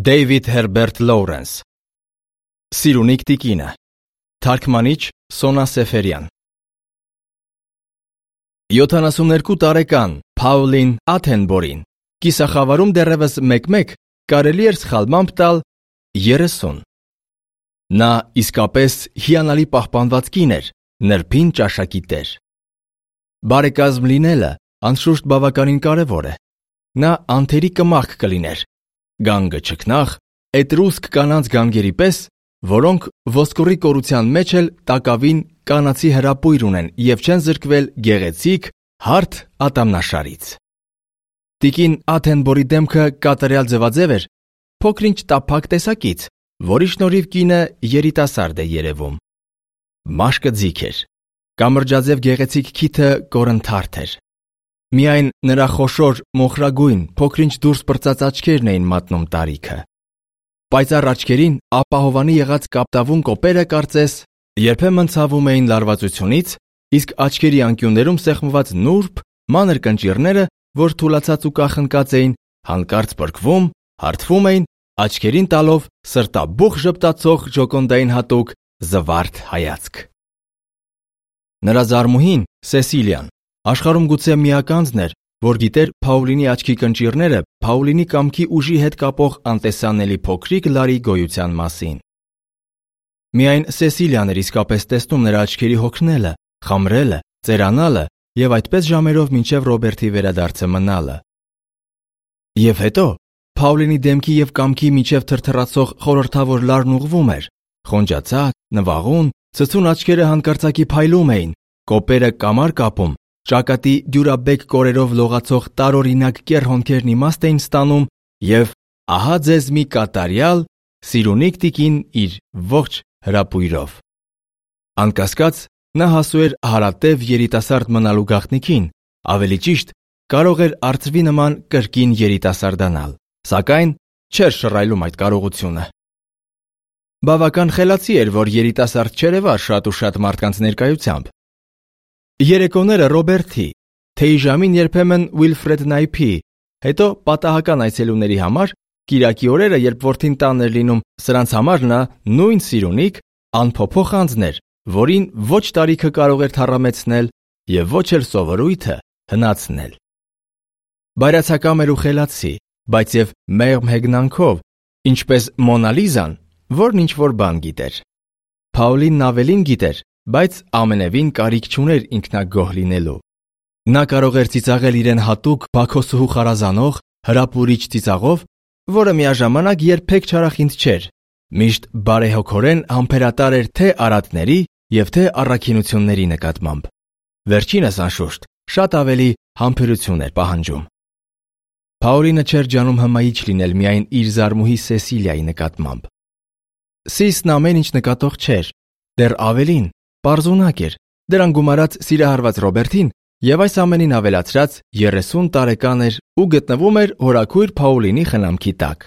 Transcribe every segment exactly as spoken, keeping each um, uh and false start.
Դեյվիդ Հերբերտ Լոուրենս Սիրունիկ տիկինը Թարգմանիչ Սոնա Սեֆերյան յոթանասուններկու տարեկան Փաուլին Աթենբորին կիսախավարում դեռևս մեկ-մեկ կարելի էր սխալմամբ տալ երեսուն։ Նա իսկապես հիանալի պահպանված կին էր, նրբին ճաշակի տեր։ Բարեկազմ լինելը անշուշտ բավականին կարևոր է։ Նա անթերի կմախք կլիներ, գանգը չքնաղ, էտրուսկ կանանց գանգերի պես, որոնք ոսկորի կորության մեջ էլ տակավին կանացի հրապույր ունեն և չեն զրկվել գեղեցիկ, հարթ ատամնաշարից։ Տիկին Աթենբորի դեմքը կատարյալ ձվաձև էր, փոքր-ինչ տափակ տեսակից, որի շնորհիվ կինը երիտասարդ է երևում։ Մաշկը ձիգ էր, կամրջաձև գեղեցիկ քիթը կորնթարթ էր։ Միայն նրա խոշոր, մոխրագույն, փոքր-ինչ դուրս պրծած աչքերն էին մատնում տարիքը։ Պայծառ աչքերին ապահովանի եղած կապտավուն կոպերը կարծես երբեմն ցավում էին լարվածությունից, իսկ աչքերի անկյուններում սեղմված նուրբ, մանր կնճիռները, որ թուլացած ու կախնկած էին, հանկարծ պրկվում, հարթվում էին, աչքերին տալով սրտաբուխ ժպտացող ջոկոնդային հատուկ զվարթ հայացք։ Նրա զարմուհին Սեսիլիան աշխարհում գուցե միականձն էր, որ գիտեր Փաուլինի աչքի կնճիռները Փաուլինի կամքի ուժի հետ կապող անտեսանելի փոքրիկ լարի գոյության մասին։ Միայն Սեսիլիան էր իսկապես տեսնում նրա աչքերի հոգնելը, խամրելը, ծերանալը և այդպես ժամերով մինչև Ռոբերտի վերադարձը մնալը։ Եվ հետո Փաուլինի դեմքի և կամքի միջև թրթռացող խորհրդավոր լարն ուղղվում էր, խոնջացած, նվաղուն, ցցուն աչքերը հանկարծակի փայլում էին, կոպերը կամար կապում, ճակատի դյուրաբեկ կորերով լողացող տարօրինակ կեռ հոնքերն իմաստ էին ստանում և ահա ձեզ մի կատարյալ սիրունիկ տիկին իր ողջ հրապույրով։ Անկասկած, նա հասու էր հարատև երիտասարդ մնալու գաղտնիքին, ավելի ճիշտ, կարող էր արծվի նման կրկին երիտասարդանալ, սակայն չէր շռայլում այդ կարողությունը։ Բավական խելացի էր, որ երիտասարդ չերևար շատ ու շատ մարդկանց ներկայությամբ։ Երեկոները Ռոբերտի, թեյի ժամին երբեմն Ուիլֆրեդ Նայփի, հետո պատահական այցելուների համար, կիրակի օրերը, երբ որդին տան էր լինում, սրանց համար նա նույն սիրունիկ, անփոփոխ անձն էր, որին ոչ տարիքը կարող էր թառամեցնել և ոչ էլ սովորույթը հնացնել։ Բայրացակամ էր ու խելացի, բայց և մեղմ հեգնանքով, ինչպես Մոնա Լիզան, որն ինչ-որ բան գիտեր։ Փաուլինն ավելին գիտեր, բայց ամենևին կարիք չուներ ինքնագոհ լինելու։ Նա կարող էր ծիծաղել իրեն հատուկ բաքոսուհու խարազանող, հրապուրիչ ծիծաղով, որը միաժամանակ երբեք չարախինդ չէր, միշտ բարեհոգորեն համբերատար էր թե արատների և թե առաքինությունների նկատմամբ։ Վերջինս, անշուշտ, շատ ավելի համբերություն էր պահանջում։ Փաուլինը չէր ջանում հմայիչ լինել միայն իր զարմուհի Սեսիլիայի նկատմամբ։ Սիսն ամեն ինչ նկատող չէր, դեռ ավելին, պարզունակ էր, դրան գումարած սիրահարված Ռոբերտին և այս ամենին ավելացրած երեսուն տարեկան էր ու գտնվում էր հորաքույր Փաուլինի խնամքի տակ։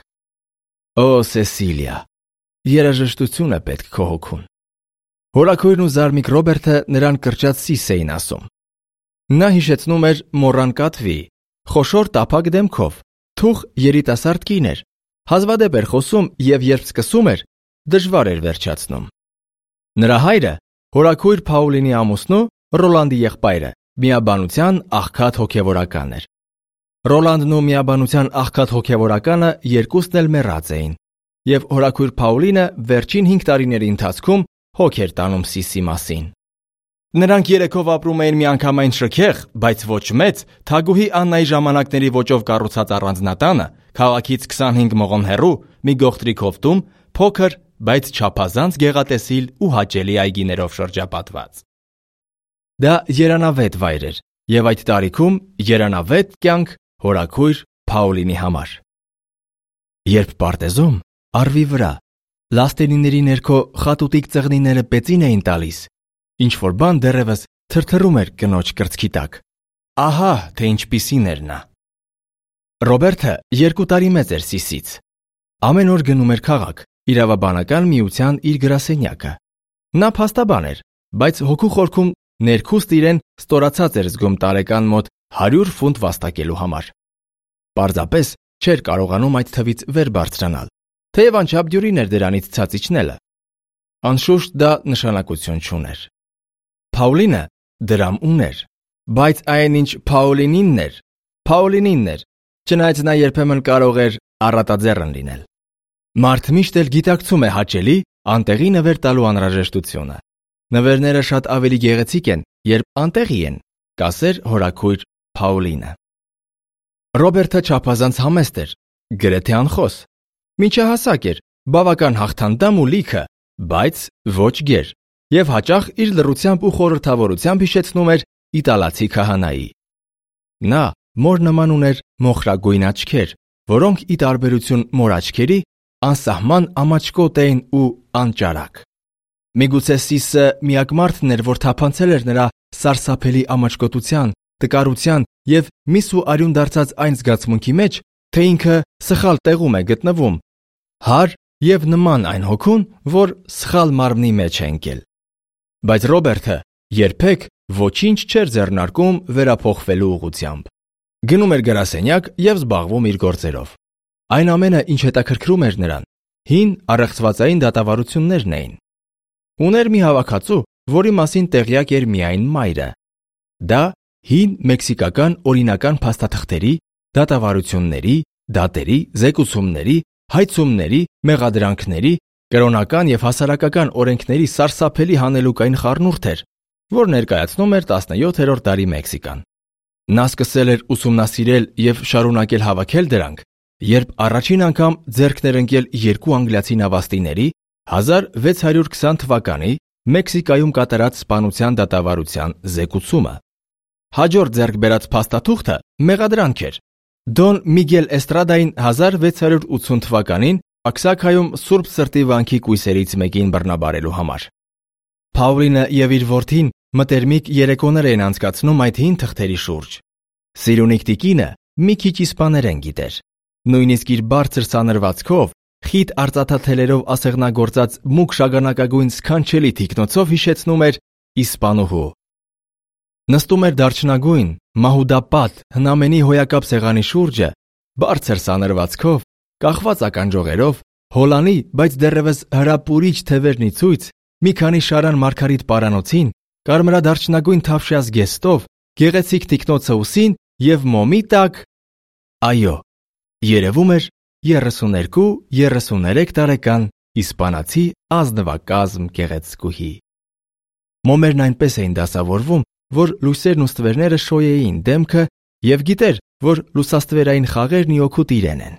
Օ, Սեսիլիա, երաժշտություն է պետք քո հոգուն։ Հորաքույրն ու զարմիկ Ռոբերտը նրան կրճած Սիս էին ասում։ Նա հիշեցնում էր մոռան կատվի, խոշոր տափակ դեմքով, թուխ երիտասարդ կին էր, հազվադեպ էր խոսում և երբ սկսում էր, դժվար էր վերջացնում։ Նրա հայրը, հորաքույր Փաուլինի ամուսնու, Ռոլանդի եղբայրը, միաբանության աղքատ հոգևորական էր։ Ռոլանդն ու միաբանության աղքատ հոգևորականը երկուսն էլ մեռած էին, և հորաքույր Փաուլինը վերջին հինգ տարիների ընթացքում հոգ էր տանում Սիսի մասին։ Նրանք երեքով ապրում էին միանգամայն շքեղ, բայց ոչ մեծ, թագուհի Աննայի ժամանակների ոճով կառուցած առանձնատանը, քաղաքից քսանհինգ մղոն հեռու, մի գողտրիկ հովտում, փոքր, բայց չափազանց գեղատեսիլ ու հաճելի այգիներով շրջապատված։ Դա երանավետ վայր էր, և այդ տարիքում երանավետ կյանք հորաքույր Փաուլինի համար։ Երբ պարտեզում, առվի վրա, լաստենիների ներքո խատուտիկ ծղնիները պեցին էին տալիս, ինչ-որ բան դեռևս թրթռում էր կնոջ կրծքի տակ։ Ահա, թե ինչպիսին էր նա։ Ռոբերտը երկու տարի մեծ էր Սիսից։ Ամեն օր գնում էր քաղաք, իրավաբանական միության իր գրասենյակը։ Նա փաստաբան էր, բայց հոգու խորքում ներքուստ իրեն ստորացած էր զգում տարեկան մոտ հարյուր ֆունտ վաստակելու համար։ Պարզապես չէր կարողանում այդ թվից վեր բարձրանալ, թեև անչափ դյուրին էր դրանից ցած իջնելը։ Անշուշտ դա նշանակություն չուներ։ Փաուլինը դրամ ուներ, բայց այն ինչ Փաուլինինն էր, Փաուլինինն էր, չնայած նա երբեմն կարող էր առատաձեռն լինել։ Մարդ միշտ էլ գիտակցում է հաճելի անտեղի նվեր տալու անհրաժեշտությունը։ Նվերները շատ ավելի գեղեցիկ են, երբ անտեղի են, կասեր հորաքույր Փաուլինը։ Ռոբերտը չափազանց համեստ էր, գրեթե անխոս։ Միջահասակ էր, բավական հաղթանդամ ու լիքը, բայց ոչ գեր, եւ հաճախ իր լռությամբ ու խորհրդավորությամբ հիշեցնում էր իտալացի քահանայի։ Նա մոր նման ուներ մոխրագույն աչքեր, որոնք ի տարբերություն մոր աչքերի անսահման ամաչկոտ էին ու անճարակ։ Միգուցե Սիսը միակ մարդն էր, որ թափանցել էր նրա սարսափելի ամաչկոտության, տկարության եւ միս ու արյուն դարձած այն զգացմունքի մեջ, թե ինքը սխալ տեղում է գտնվում, հար եւ նման այն հոգուն, որ սխալ մարմնի մեջ է ընկել։ Բայց Ռոբերտը երբեք ոչինչ չէր ձեռնարկում վերափոխվելու ուղղությամբ։ Գնում էր գրասենյակ եւ զբաղվում իր գործերով։ Այն ամենը, ինչ հետաքրքրում էր նրան, հին առեղծվածային դատավարություններն էին։ Ուներ մի հավաքածու, որի մասին տեղյակ էր միայն մայրը։ Դա հին մեքսիկական օրինական փաստաթղթերի, դատավարությունների, դատերի, զեկուցումների, հայցումների, մեղադրանքների, կրոնական եւ հասարակական օրենքների սարսափելի հանելուկային խառնուրդ էր, որ ներկայացնում էր տասնյոթերորդ դարի Մեքսիկան։ Նա սկսել էր ուսումնասիրել եւ շարունակել հավաքել դրանք, երբ առաջին անգամ ձեռքն էր ընկել երկու անգլիացի նավաստիների հազար վեց հարյուր քսան թվականի Մեքսիկայում կատարած սպանության դատավարության զեկուցումը։ Հաջորդ ձեռք բերած փաստաթուղթը մեղադրանք էր Դոն Միգել Էստրադային հազար վեց հարյուր ութսուն թվականին Աքսակայում Սուրբ Սրտի վանքի կույսերից մեկին բռնաբարելու համար։ Փաուլինը եւ իր որդին մտերմիկ երեկոներ էին անցկացնում այդ հին թղթերի շուրջ։ Սիրունիկ տիկինը մի քիչ իսպաներեն գիտեր։ Նույնիսկ իր բարձր սանրվածքով, խիտ արծաթաթելերով ասեղնագործած մուգ շագանակագույն սքանչելի թիկնոցով հիշեցնում էր իսպանուհու։ Նստում էր դարչնագույն, մահուդապատ, հնամենի հոյակապ սեղանի շուրջը, բարձր սանրվածքով, կախված ականջողերով, հոլանի, բայց դեռևս հրապուրիչ թևերնի ցույց, մի քանի շարան մարգարիտ պարանոցին, կարմրադարչնագույն թավշյա զգեստով, գեղեցիկ թիկնոցը ուսին եւ մոմի տակ, այո, երևում էր երեսուներկու երեսուներեք տարեկան իսպանացի ազնվակազմ գեղեցկուհի։ Մոմերն այնպես էին դասավորվում, որ լույսերն ու ստվերները շոյեին դեմքը եւ գիտեր, որ լուսաստվերային խաղերն ի օգուտ իրեն են։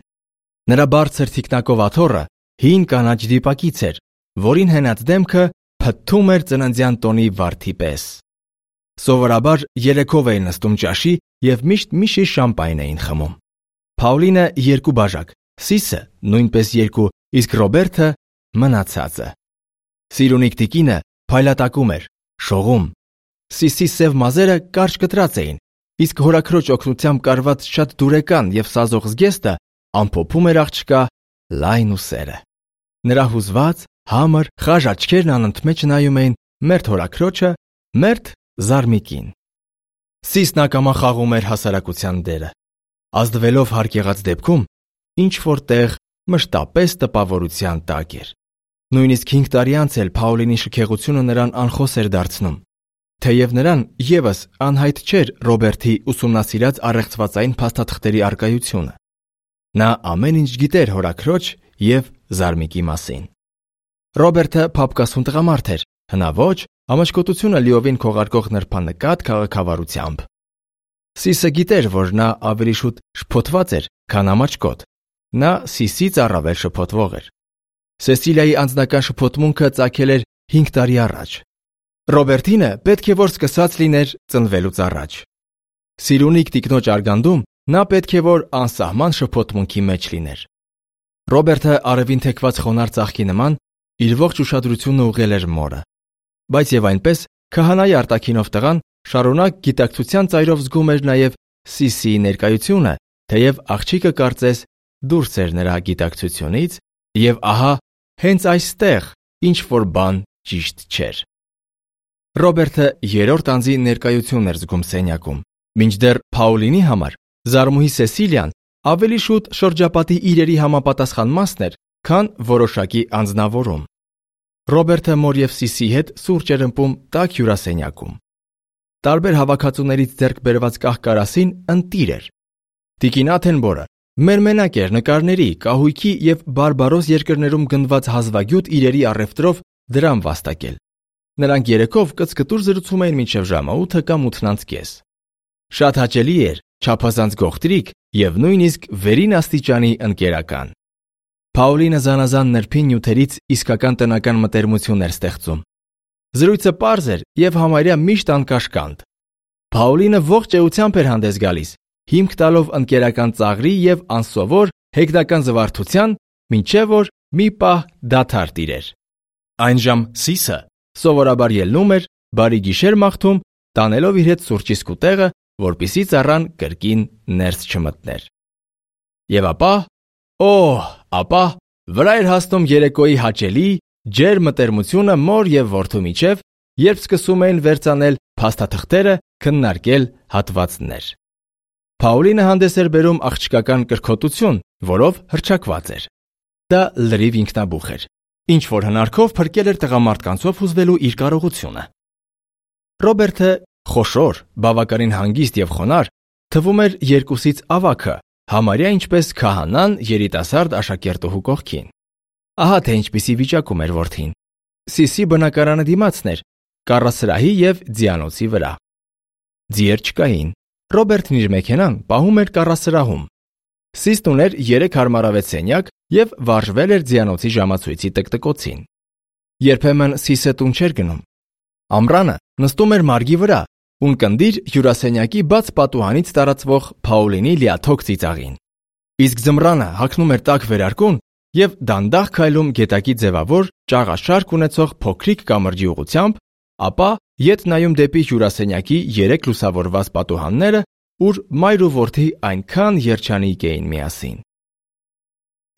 Նրա բարձր թիկնակով աթոռը հին կանաչ դիպակից էր, որին հենած դեմքը փթթում էր ծննդյան տոնի վարդի պես։ Սովորաբար երեքով էին նստում ճաշի եւ միշտ մի շիշ շամպայն էին խմում։ Փաուլինը երկու բաժակ, Սիսը նույնպես երկու, իսկ Ռոբերտը մնացածը։ Սիրունիկ տիկինը փայլատակում էր, շողում։ Սիսի սև մազերը կարճ կտրած էին, իսկ հորաքրոջ օգնությամբ կարված շատ դուրեկան եւ սազող զգեստը ամփոփում էր աղջկա լայն ուսերը։ Նրա հուզված, համր, խաժ աչքերն անընդմեջ նայում էին մերթ հորաքրոջը, մերթ զարմիկին։ Սիսն ակամա խաղում էր հասարակության դերը։ Ազդվելով հարկ եղած դեպքում, ինչ որտեղ մշտապես տպավորության տակ էր։ Նույնիսկ հինգ տարի անց էլ Փաուլինի շքեղությունը նրան անխոս էր դարձնում։ Թեև նրան եւս անհայտ չէր Ռոբերտի ուսումնասիրած առեղծվածային փաստաթղթերի արկայությունը։ Նա ամեն ինչ գիտեր հորաքրոջ եւ զարմիկի մասին։ Ռոբերտը փապկասուն տղամարդ էր, հնաոճ, ամաչկոտությունը լիովին քողարկող նրբանկատ քաղաքավարությամբ։ Սիսը գիտեր, որ նա ավելի շուտ շփոթված էր, քան ամաչկոտ։ Նա Սիսից առավել շփոթվող էր։ Սեսիլիայի անձնական շփոթմունքը ծագել էր հինգ տարի առաջ։ Ռոբերտինը պետք է որ սկսած լիներ ծնվելուց առաջ։ Սիրունիկ տիկնոջ արգանդում նա պետք է որ անսահման շփոթմունքի մեջ լիներ։ Ռոբերտը արևին թեքված խոնար ծաղկի նման իր ողջ ուշադրությունը ուղղել էր մորը։ Բայց եւ այնպես քահանայի արտաքինով տղան շարունակ գիտակցության ծայրով զգում էր նաեւ Սիսիի ներկայությունը, թեև աղջիկը կարծես դուրս էր նրա գիտակցությունից, եւ ահա հենց այստեղ ինչ որ բան ճիշտ չէր։ Ռոբերտը երրորդ անձի ներկայություն էր զգում սենյակում, մինչդեռ Փաուլինի համար զարմուհի Սեսիլիան ավելի շուտ շրջապատի իրերի համապատասխան մասն էր, քան որոշակի անձնավորում։ Ռոբերտը մոր և Սիսի հետ սուրճ էր ըմպում տաք հյուրասենյակում։ Տարբեր հավաքածուներից ձեռք բերված կահ-կարասին ընտիր էր։ Տիկին Աթենբորը մերմենակ էր նկարների, կահույքի և բարբարոս երկրներում գնված հազվագյուտ իրերի առևտրով դրամ վաստակել։ Նրանք երեքով կծկտուր զրուցում էին մինչև ժամը ութը կամ ութն անց կես։ Շատ հաճելի էր, չափազանց գողտրիկ և նույնիսկ վերին աստիճանի ընկերական։ Փաուլինը զանազան նրբին նյութերից իսկական տնական մտերմություն էր ստեղծում։ Զրույցը պարզ էր և համարյա միշտ անկաշկանդ։ Փաուլինը ողջ էությամբ էր հանդես գալիս, հիմք տալով ընկերական ծաղրի և անսովոր հեգնական զվարթության, մինչև որ մի պահ դադար տիրեր։ Այնժամ Սիսը սովորաբար ելնում էր, բարի գիշեր մաղթում, տանելով իր հետ սուրճի սկուտեղը, որպեսզի ծառան կրկին ներս չմտներ։ Եվ ապա, օհ, ապա վրա էր հասնում երեկոյի հաճելի, ջերմ մտերմությունը մոր և որդու միջև, երբ սկսում էին վերծանել փաստաթղթերը, քննարկել հատվածներ։ Փաուլինը հանդես էր բերում աղջկական կրքոտություն, որով հռչակված էր։ Դա լրիվ ինքնաբուխ էր, ինչ-որ հնարքով փրկել էր տղամարդկանցով հուզվելու իր կարողությունը։ Ռոբերտը խոշոր, բավականին հանգիստ և խոնարհ, թվում էր երկուսից ավագը, համարյա ինչպես քահանան երիտասարդ աշակերտուհու կողքին։ Ահա թե ինչպիսի վիճակում էր որդին։ Սիսի բնակարանը դիմացն էր, կառասրահի և ձիանոցի վրա։ Ձիեր չկային։ Ռոբերտն իր մեքենան պահում էր կառասրահում։ Սիսն ուներ երեք հարմարավետ սենյակ և վարժվել էր ձիանոցի ժամացույցի տկտկոցին։ Երբեմն Սիսը տուն չէր գնում։ Ամռանը նստում էր մարգի վրա, ունկնդիր հյուրասենյակի բաց պատուհանից տարածվող Փաուլինի լիաթոք ծիծաղին։ Իսկ ձմռանը հագնում էր տաք վերարկուն և դանդաղ քայլում գետակի ձևավոր ճաղաշարք ունեցող փոքրիկ կամրջի ուղղությամբ, ապա ետ նայում դեպի հյուրասենյակի երեք լուսավորված պատուհանները, ուր մայր ու որդի այնքան երջանիկ էին միասին։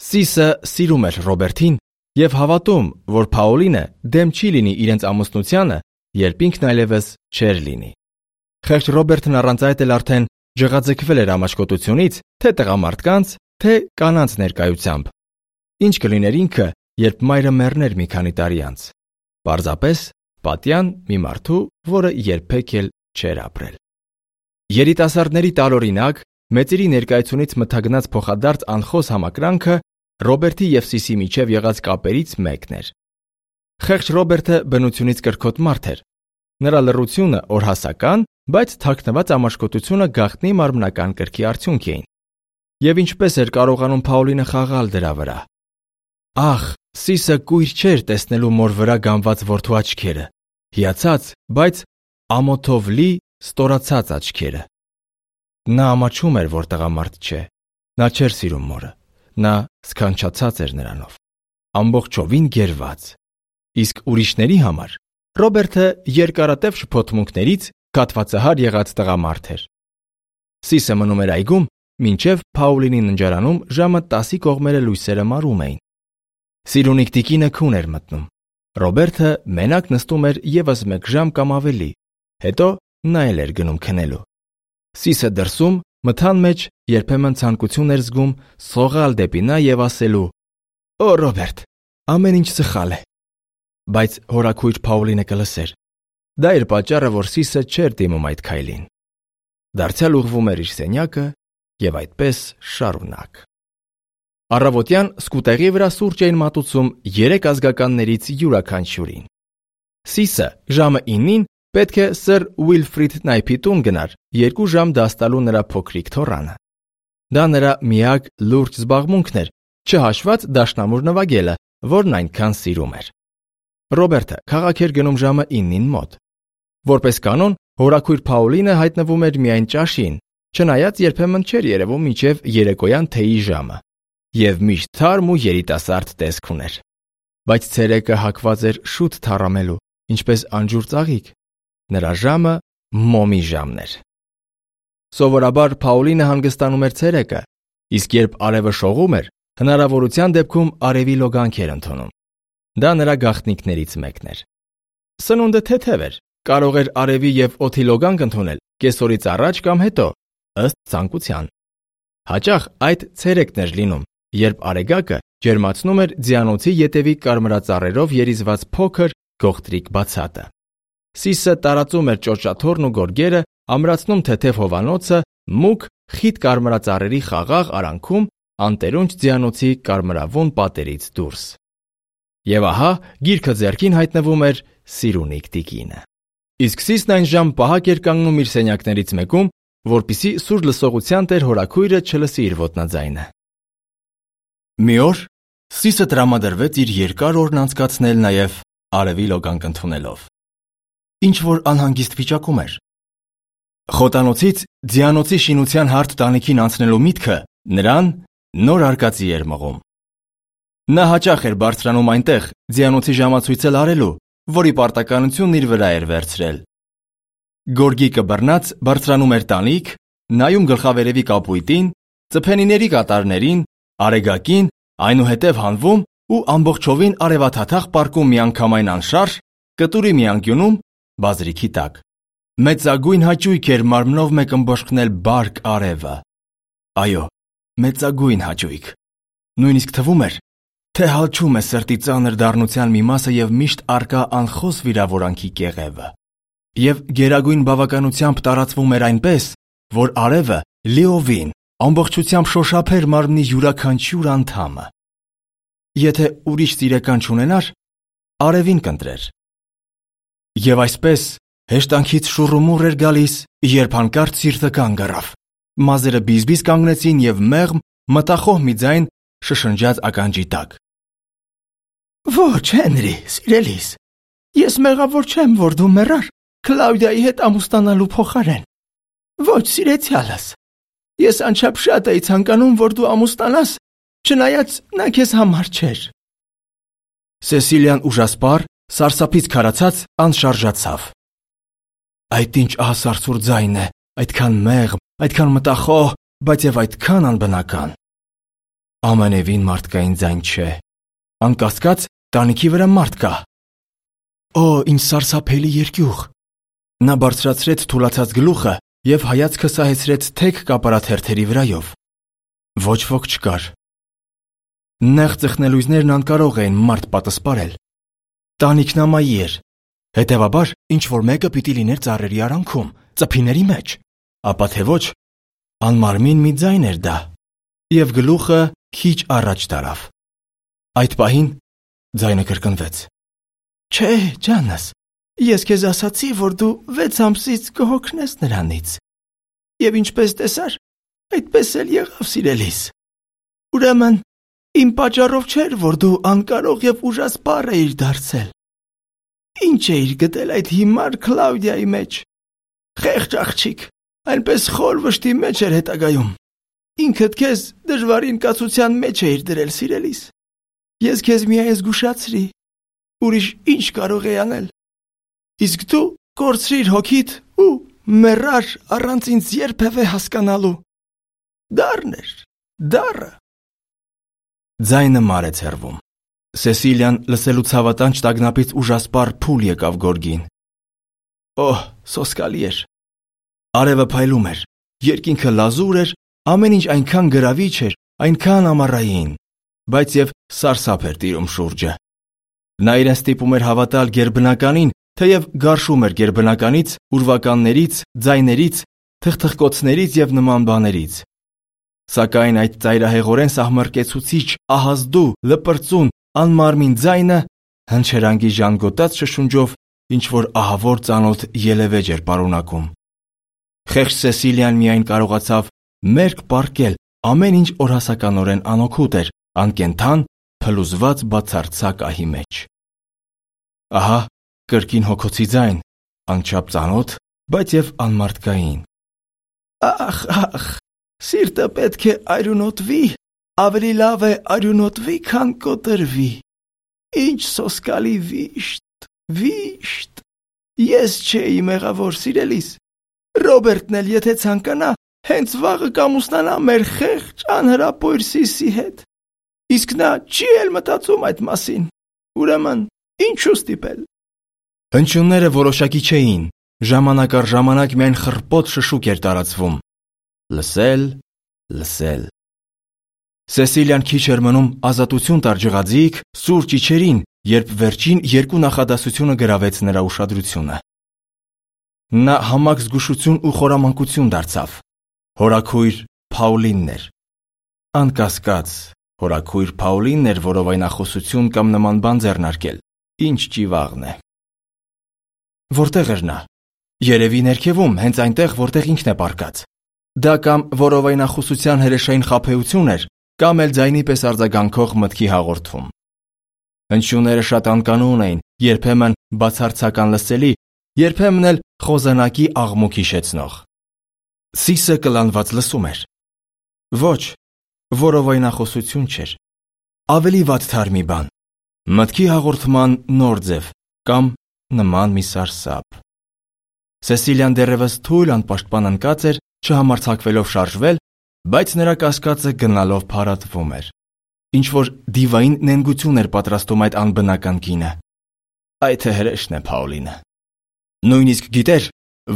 Սիսը սիրում էր Ռոբերտին և հավատում, որ Փաուլինը դեմ չի լինի իրենց ամուսնությանը, երբ ինքն այլևս չէր լինի։ Խեղճ Ռոբերտն առանց այդ էլ արդեն ջղաձգվել էր ամաչկոտությունից, թե տղամարդկանց, թե կանանց ներկայությամբ։ Ինչ կլիներ ինքը, երբ մայրը մեռներ մի քանի տարի անց։ Պարզապես պատյան մի մարդու, որը երբեք էլ չէր ապրել։ Երիտասարդների տարօրինակ, մեծերի ներկայությունից մթագնած փոխադարձ անխոս համակրանքը Ռոբերտի և Սիսի միջև եղած կապերից մեկն էր։ Խեղճ Ռոբերտը բնությունից կրքոտ մարդ էր։ Նրա լռությունը օրհասական, բայց թաքնված ամաչկոտությունը գաղտնի մարմնական կրքի արդյունք էին։ Եվ ինչպես էր կարողանում Փաուլինը խաղալ դրա վրա։ Ախ, Սիսը կույր չէր տեսնելու մոր վրա գանված որդու աչքերը, հիացած, բայց ամոթով լի ստորացած աչքերը։ Նա ամաչում էր, որ տղամարդ չէ։ Նա չէր սիրում մորը։ Նա սքանչացած էր նրանով, ամբողջովին գերված։ Իսկ ուրիշների համար Ռոբերտը երկարատև շփոթմունքներից կաթվածահար եղած տղամարդ էր։ Սիսը մնում էր այգում, մինչև Փաուլինի ննջարանում ժամը տասի կողմերը լույսերը մարում էին։ Սիրունիկ տիկինը քուն էր մտնում։ Ռոբերտը մենակ նստում էր ևս մեկ ժամ կամ ավելի, հետո նա էլ էր գնում քնելու։ Սիսը դրսում, մթան մեջ երբեմն ցանկություն էր զգում սողալ դեպի նա և ասելու. «Օ, Ռոբերտ, ամեն ինչ սխալ է»։ Բայց հորաքույր Փաուլինը կլսեր։ Դա էր պատճառը, որ Սիսը չէր դիմում այդ քայլին։ Դարձյալ ուղղվում էր իր սենյակը և այդպես շարունակ։ Առավոտյան սկուտեղի վրա սուրճ էին մատուցում երեք ազգականներից յուրաքանչյուրին։ Սիսը ժամը իննին պետք է սըր Ուիլֆրիդ Նայփի տուն գնար երկու ժամ դաս տալու նրա փոքրիկ թոռանը։ Դա նրա միակ լուրջ զբաղմունքն էր, չհաշված դաշնամուր նվագելը, որն այնքան սիրում էր։ Ռոբերտը քաղաք էր գնում ժամը իննին մոտ։ Որպես կանոն, հորաքույր Փաուլինը հայտնվում էր միայն ճաշին, չնայած երբեմն չէր երևում մինչև երեկոյան թեյի ժամը, և միշտ թարմ ու երիտասարդ տեսք ուներ։ Բայց ցերեկը հակված էր շուտ թառամելու, ինչպես անջուր ծաղիկ։ Նրա ժամը մոմի ժամն էր։ Սովորաբար Փաուլինը հանգստանում էր ցերեկը, իսկ երբ արևը շողում էր, հնարավորության դեպքում արևի լոգանք էր ընդունում։ Դա նրա գաղտնիքներից մեկն էր։ Սնունդը թեթև էր, կարող էր արևի և օդի լոգանք ընդունել կեսօրից առաջ կամ հետո, ըստ ցանկության։ Հաճախ այդ ցերեկն էր լինում, երբ արեգակը ջերմացնում էր ձիանոցի ետևի կարմրածառերով երիզված փոքր գողտրիկ բացատը։ Սիսը տարածում էր ճոճաթոռն ու գորգերը, ամրացնում թեթև հովանոցը, մուգ, խիտ կարմրածառերի խաղաղ արանքում, անտերունջ ձիանոցի կարմրավուն պատերից դուրս։ Եվ ահա գիրքը ձեռքին հայտնվում էր Սիրունիկ տիկինը։ Իսկ Սիսն այն ժամ պահակ էր կանգնում իր սենյակներից մեկում, որպեսզի սուր լսողության տեր հորաքույրը չլսի իր ոտնաձայնը։ Մի օր Սիսը տրամադրվեց իր երկար օրն անցկացնել նաև արևի լոգանք ընդունելով։ Ինչ որ անհանգիստ վիճակում էր։ Խոտանոցից ձիանոցի շինության հարթ տանիքին անցնելու միտքը նրան նոր արկածի էր մղում։ Նա հաճախ էր բարձրանում այնտեղ ձիանոցի ժամացույցել արելու, որի պարտականությունն իր վրա էր վերցրել։ Գորգիկը բռնած բարձրանում էր տանիք, նայում գլխավերևի կապույտին, ծփենիների կատարներին, արեգակին, այնուհետև հանվում ու ամբողջովին արևաթաթախ պարկում միանգամայն անշարժ, կտուրի մի անկյունում, բազրիքի տակ։ Մեծագույն հաճույք էր մարմնով մեկ ըմբոշխնել բարկ արևը։ Այո, մեծագույն հաճույք։ Նույնիսկ թվում էր, թե հալչում է սրտի ծանր դառնության մի մասը եւ միշտ արկա անխոս վիրավորանքի կեղևը։ Եվ գերագույն բավականությամբ տարածվում էր այնպես, որ արևը լիովին ամբողջությամբ շոշափեր մարմնի յուրաքանչյուր անդամը։ Եթե ուրիշ սիրեկան չունենար, արևին կընտրեր։ Եվ այսպես հեշտանքից շուռումուռ էր գալիս, երբ հանկարծ սիրտը կանգ առավ։ Մազերը բիզբիզ կանգնեցին եւ մեղմ, մտախոհ մի ձայն շշնջաց ականջի տակ։ Ոչ, Հենրի, սիրելիս, ես մեղավոր չեմ, որ դու մեռար Քլաուդիայի հետ ամուսնանալու փոխարեն։ Ոչ, սիրեցյալս, ես անչափ շատ էի ցանկանում, որ դու ամուսնանաս, չնայած նա քեզ համար չէր։ Սեսիլիան ուժասպառ, սարսափից քարացած անշարժացավ։ Այդ ինչ ահասարսուր ձայն է, այդքան մեղմ, այդքան մտախոհ, բայց եւ այդքան անբնական։ Ամենևին մարդկային ձայն չէ։ Անկասկած տանիքի վրա մարդ կա։ Օ, ինչ սարսափելի երկյուղ։ Նա բարձրացրեց թուլացած գլուխը եւ հայացքը սահեցրեց թեք կապարաթերթերի վրայով։ Ոչ ոք չկար։ Նեղ ծխնելույզներն անկարող էին մարդ պատսպարել։ Տանիքն ամայի էր։ Հետևաբար ինչ որ մեկը պիտի լիներ ծառերի արանքում, ծփիների մեջ, ապա թե ոչ, անմարմին մի ձայն էր դա։ Եվ գլուխը քիչ առաջ տարավ։ Այդ պահին ձայնը կրկնվեց։ Չէ, ջանս, ես քեզ ասացի, որ դու վեց ամսից կհոգնես նրանից։ Եվ ինչպես տեսար, այդպես էլ եղավ, սիրելիս։ Ուրեմն իմ պատճառով չէր, որ դու անկարող եւ ուժասպառ էիր դարձել։ Ինչ էիր գտել այդ հիմար Քլաուդիայի մեջ։ Խեղճ աղջիկ, այնպես խոր վշտի մեջ էր հետագայում։ Ինքդ քեզ դժվարին կացության մեջ էիր դրել, սիրելիս։ Ես քեզ միայն զգուշացրի։ Ուրիշ ինչ կարող էի անել։ Իսկ դու կորցրիր հոգիդ ու մեռար առանց ինձ երբևէ հասկանալու։ Դառն էր, դառը։ Ձայնը մարեց հեռվում։ Սեսիլիան լսելու ցավատանջ տագնապից ուժասպառ փուլ եկավ գորգին։ Օհ, սոսկալի էր։ Արևը փայլում էր, երկինքը լազուր էր, ամեն ինչ այնքան գրավիչ էր, այնքան ամառային, բայց եւ սարսափ էր տիրում շուրջը։ Նա իրեն ստիպում էր հավատալ գերբնականին, թեև գարշում էր գերբնականից, ուրվականներից, ձայներից, թխթխկոցներից եւ նման բաներից։ Սակայն այդ ծայրահեղորեն սահմռկեցուցիչ, ահազդու, լպրծուն, անմարմին ձայնը հնչերանգի ժանգոտած շշունջով ինչ որ ահավոր ծանոթ ելևեջ էր պարունակում։ Խեղճ Սեսիլիան միայն կարողացավ մերկ պառկել, ամեն ինչ օրհասականորեն անօգուտ էր, անկենթան, փլուզված բացարձակ ահի մեջ։ Ահա կրկին հոգոցի ձայն, անչափ ծանոթ, բայց եւ անմարդկային։ Ախ, ախ, սիրտը պետք է արյունոտվի, ավելի լավ է արյունոտվի, քան կոտրվի։ Ինչ սոսկալի վիշտ, վիշտ։ Ես չէի մեղավոր, սիրելիս։ Ռոբերտն էլ եթե ցանկանա, հենց վաղը կամուսնանա մեր խեղճ անհրապույր Սիսի հետ։ Իսկ նա չի էլ մտածում այդ մասին։ Ուրեմն, ինչու ստիպել։ Հնչյունները որոշակի չէին, ժամանակ առ ժամանակ միայն խռպոտ շշուկ էր տարածվում։ Լսել, լսել։ Սեսիլիան քիչ էր մնում ազատություն տար ջղաձիգ սուրճ իջերին, երբ վերջին երկու նախադասությունը գրավեց նրա ուշադրությունը։ Նա համակ զգուշություն ու խորամանկություն դարձավ։ Հորաքույր Փաուլինն էր։ Անկասկած, հորաքույր Փաուլինն էր, որով այնախոսություն կամ նման բան ձեռնարկել։ Ինչ ճիվաղն է։ Որտեղ էր նա։ Երևի ներքևում, հենց այնտեղ, որտեղ ինքն է պառկած։ Դա կամ որով այնախոսության հրեշային խաբեություն էր, կամ էլ ձայնի պես արձագանքող մտքի հաղորդում։ Հնչյունները շատ անկանոն էին, երբեմն բացարձական լսելի, երբեմն էլ խոզանակի աղմուկ հիշեցնող։ Սիսը կլանված լսում էր։ Ոչ, որով այնախոսություն չէր։ Ավելի վատ թարմի բան։ Մտքի հաղորդման նոր ձև կամ նման մի սարսափ։ Սեսիլիան դեռևս թույլ անպաշտպան ընկած էր, չհամարձակվելով շարժվել, բայց նրա կասկածը գնալով փարատվում էր։ Ինչ-որ դիվային նենգություն էր պատրաստում այդ անբնական կինը։ Այ թե հրեշն է Փաուլինը։ Նույնիսկ գիտեր,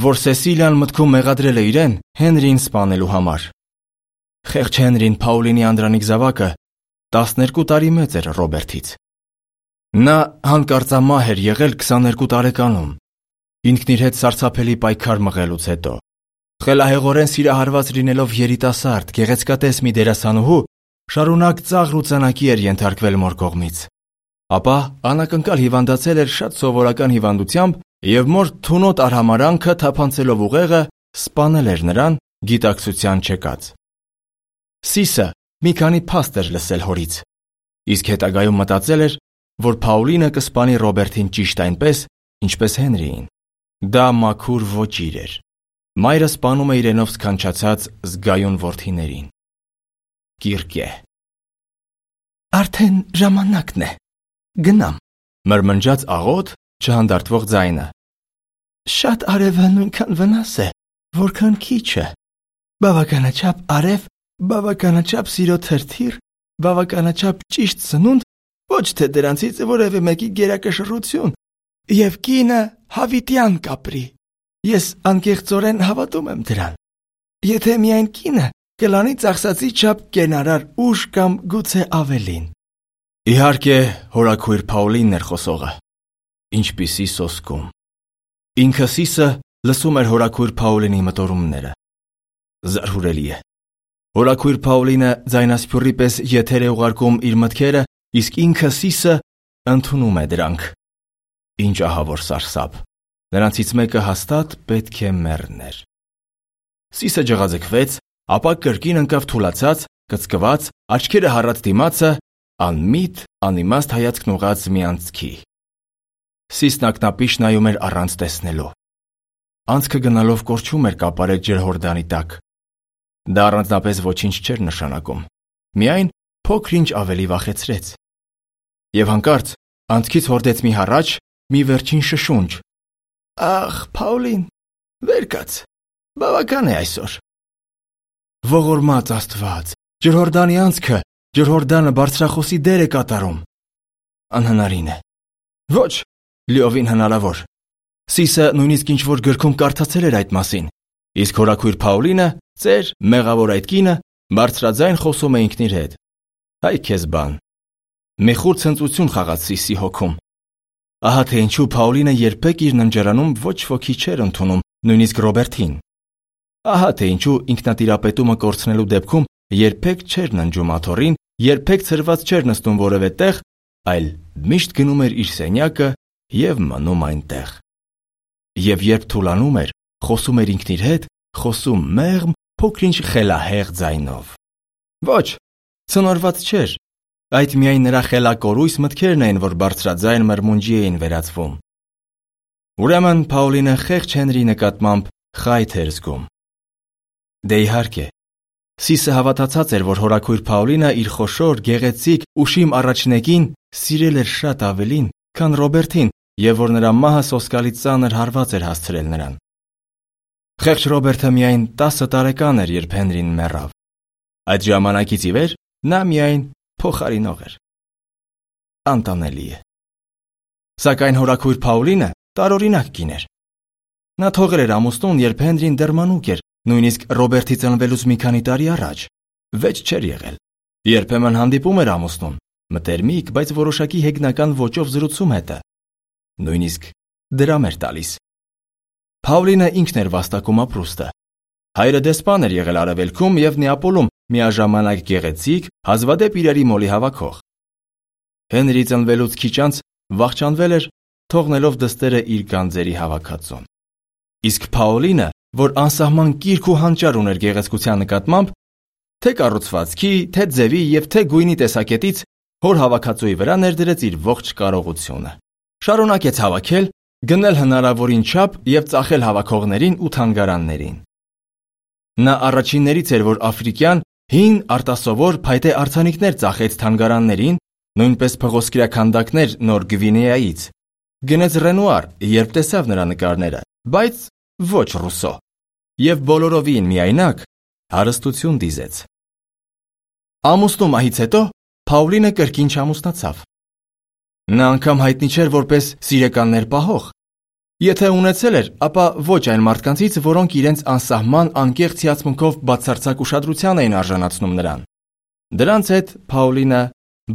որ Սեսիլիան մտքում մեղադրել է իրեն Հենրին սպանելու համար։ Խեղճ Հենրին Փաուլինի անդրանիկ զավակը տասներկու տարի մեծ էր Ռոբերտից։ Նա հանկարծամահ էր եղել քսաներկու տարեկանում, ինքն իր հետ սարսափելի պայքար մղելուց հետո։ Խելահեղորեն սիրահարված լինելով երիտասարդ, գեղեցկատես մի դերասանուհու, շարունակ ծաղր ու ծանակի էր ենթարկվել մոր կողմից։ Ապա անակնկալ հիվանդացել էր շատ սովորական հիվանդությամբ և մոր թունոտ արհամարանքը թափանցելով ուղեղը սպանել էր նրան գիտակցության չեկած։ Սիսը մի քանի փաստ էր լսել հորից, իսկ հետագայում մտածել էր, որ Փաուլինը կսպանի Ռոբերտին ճիշտ այնպես, ինչպես Հենրիին։ Դա մաքուր ոճիր էր։ Մայրը սպանում է իրենով սքանչացած զգայուն որդիներին։ Կիրք է։ Արդեն ժամանակն է։ Գնամ, մրմնջաց աղոտ չհանդարտվող ձայնը։ Շատ արևը նույնքան վնաս է, որքան քիչը։ Բավականաչափ արև, բավականաչափ սիրո թրթիռ, բավականաչափ ճիշտ սնունդ, ոչ թե դրանցից որևէ մեկի գերակշռություն, և կինը հավիտյան կապրի։ Ես անկեղծորեն հավատում եմ դրան։ Եթե միայն կինը կլանի ծախսածի չափ կենարար ուժ կամ գուցե ավելին։ Իհարկե, հորաքույր Փաուլինն էր խոսողը։ Ինչպիսի սոսկում։ Ինքը Սիսը լսում էր հորաքույր Փաուլինի մտորումները։ Զարհուրելի է։ Հորաքույր Փաուլինը ձայնասփյուռի պես եթեր է ուղարկում իր մտքերը, իսկ ինքը Սիսը ընդունում է դրանք։ Ինչ ահավոր սարսափ։ Նրանցից մեկը հաստատ պետք է մեռներ։ Սիսը ջղաձգվեց, ապա կրկին ընկավ թուլացած, կծկված, աչքերը հառած դիմացը, անմիտ, անիմաստ հայացքն ուղղած մի անցքի։ Սիսն ակնապիշ նայում էր առանց տեսնելու։ Անցքը գնալով կորչում էր կապարետ ջրհորդանի տակ։ Դա առանձնապես ոչինչ չէր նշանակում, միայն փոքր-ինչ ավելի վախեցրեց։ Եվ հանկարծ անցքից հորդեց մի հառաչ, մի վերջին շշունջ։ Ախ, Փաուլին, վեր կաց, բավական է այսօր։ Ողորմած Աստված, ջրհորդանի անցքը, ջրհորդանը բարձրախոսի դեր է կատարում։ Անհնարին է։ Ոչ, լիովին հնարավոր։ Սիսը նույնիսկ ինչ-որ գրքում կարդացել էր այդ մասին, իսկ հորաքույր Փաուլինը, ծեր, մեղավոր այդ կինը, բարձրաձայն խոսում է ինքն իր հետ։ Հայ քեզ բան։ Մի խուր ցնծություն խաղաց Սիսի հոգում։ Ահա թե ինչու Փաուլինը երբեք իր ննջարանում ոչ ոքի չէր ընդունում, նույնիսկ Ռոբերտին։ Ահա թե ինչու ինքնատիրապետումը կորցնելու դեպքում երբեք չէր ննջում աթոռին, երբեք ցրված չէր նստում որևէ տեղ, այլ միշտ գնում էր իր սենյակը և մնում այնտեղ։ Եվ երբ թուլանում էր, խոսում էր ինքն իր հետ, խոսում մեղմ, փոքր-ինչ խելահեղ ձայնով։ Ոչ, ցնորված չէր։ Այդ միայն նրա խելակորույս մտքերն էին, որ բարձրաձայն մրմունջի էին վերածվում։ Ուրեմն Փաուլինը խեղճ Հենրի նկատմամբ խայթ էր զգում։ Դե իհարկե, Սիսը հավատացած էր, որ հորաքույր Փաուլինը իր խոշոր, գեղեցիկ, ուշիմ առաջնեկին սիրել էր շատ ավելին, քան Ռոբերտին, և որ նրա մահը սոսկալի ծանր հարված էր հասցրել նրան։ Խեղճ Ռոբերտը միայն տասը տարեկան էր, երբ Հենրին մեռավ։ Այդ ժամանակից ի վեր նա միայն փոխարինող էր։ Անտանելի է։ Սակայն հորաքույր Փաուլինը տարօրինակ կին էր։ Նա թողել էր ամուսնուն, երբ Հենրին դեռ մանուկ էր, նույնիսկ Ռոբերտի ծնվելուց մի քանի տարի առաջ, վեճ չէր եղել։ Երբեմն հանդիպում էր ամուսնուն, մտերմիկ, բայց որոշակի հեգնական ոճով զրուցում հետը։ Նույնիսկ դրամ էր տալիս։ Փաուլինը ինքն էր վաստակում ապրուստը։ Հայրը դեսպան էր եղել Արևելքում և Նեապոլում միաժամանակ գեղեցիկ, հազվադեպ իրերի մոլի հավաքող։ Հենրի ծնվելուց քիչ անց վախճանվել էր, թողնելով դստերը իր գանձերի հավաքածուն։ Իսկ Փաուլինը, որ անսահման կիրք ու հանճար ուներ գեղեցկության նկատմամբ, թե կառուցվածքի, թե ձևի և թե գույնի տեսակետից, հոր հավաքածուի վրա ներդրեց իր ողջ կարողությունը։ Շարունակեց հավաքել, գնել հնարավորին չափ և ծախել հավաքողներին ու թանգարաններին։ Նա առաջիններից էր, որ աֆրիկյան հին արտասովոր փայտե արձանիկներ ծախեց թանգարաններին, նույնպես փղոսկրյա քանդակներ Նոր Գվինեայից։ Գնեց Ռենուար, երբ տեսավ նրա նկարները, բայց ոչ Ռուսո, և բոլորովին միայնակ հարստություն դիզեց։ Ամուսնու մահից հետո Փաուլինը կրկին չամուսնացավ։ Նա անգամ հայտնի չէր որպես սիրեկաններ պահող։ Եթե ունեցել էր, ապա ոչ այն մարդկանցից, որոնք իրենց անսահման անկեղծ հիացմունքով բացարձակ ուշադրության էին արժանացնում նրան։ Դրանց հետ Փաուլինը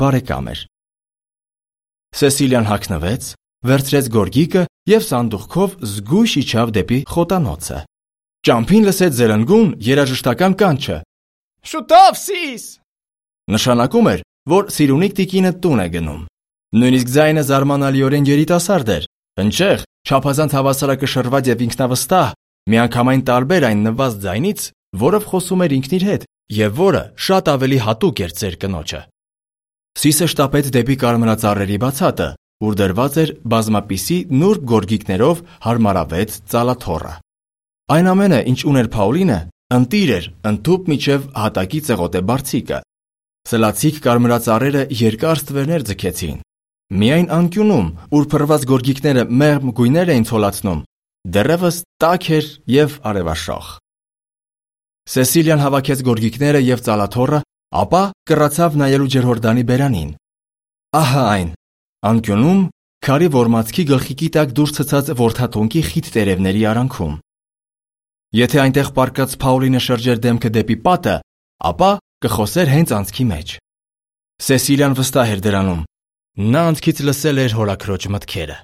բարեկամ էր։ Սեսիլիան հագնվեց, վերցրեց գորգիկը և սանդուղքով զգույշ իջավ դեպի խոտանոցը։ Ճամփին լսեց զերնգուն երաժշտական կանչը. «Շուտով, Սիս»։ Նշանակում էր, որ Սիրունիկ տիկինը տուն է գնում։ Նույնիսկ ձայնը զարմանալիորեն երիտասարդ էր, հնչեղ, չափազանց հավասարակշռված և ինքնավստահ, միանգամայն տարբեր այն նվազ ձայնից, որով խոսում էր ինքն իր հետ, և որը շատ ավելի հատուկ էր ծեր կնոջը։ Սիսը շտապեց դեպի կարմրածառերի բացատը, ուր դրված էր բազմապիսի նուրբ գորգիկներով հարմարավետ ծալաթոռը։ Այն ամենը, ինչ ուներ Փաուլինը, ընտիր էր ընդհուպ միջև հատակի ծեղոտե բարձիկը։ Սլացիկ կարմրածառերը երկար ստվերներ ձգեցին։ Միայն անկյունում, ուր փռված գորգիկները մեղմ գույներ էին ցոլացնում, դեռևս տաք էր և արևաշխող։ Սեսիլիան հավաքեց գորգիկները և ծալաթոռը, ապա կռացավ նայելու ջրհորդանի բերանին։ Ահա այն, անկյունում, քարի որմացքի գլխիկի տակ դուրս ցցած որդաթունկի խիտ տերևների արանքում։ Եթե այնտեղ պառկած Փաուլինը շրջեր դեմքը դեպի պատը, ապա կխոսեր հենց անցքի մեջ։ Սեսիլիան վստահ էր դրանում։ Նա անցքից լսել էր հորաքրոջ մտքերը։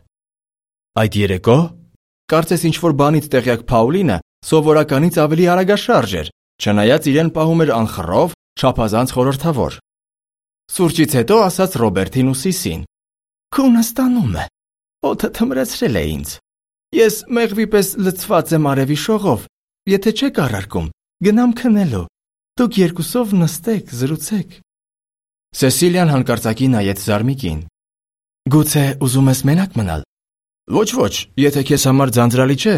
Այդ երեկո, կարծես ինչ-որ բանից տեղյակ Փաուլինը սովորականից ավելի արագաշարժ էր, չնայած իրեն պահում էր անխռով, չափազանց խորհրդավոր։ Սուրճից հետո ասաց Ռոբերտին ու Սիսին. «Քունը ստանում է, օդը թմրեցրել է ինձ։ Ես մեղվի պես լցված եմ արևի շողով, եթե չեք առարկում, գնամ քնելու, դուք երկուսով նստեք, զրուցեք»։ Սեսիլիան հանկարծակի նայեց Զարմիկին։ «Գուցե ուզում ես մենակ մնալ»։ «Ոչ, ոչ, եթե քեզ համար ձանձրալի չէ,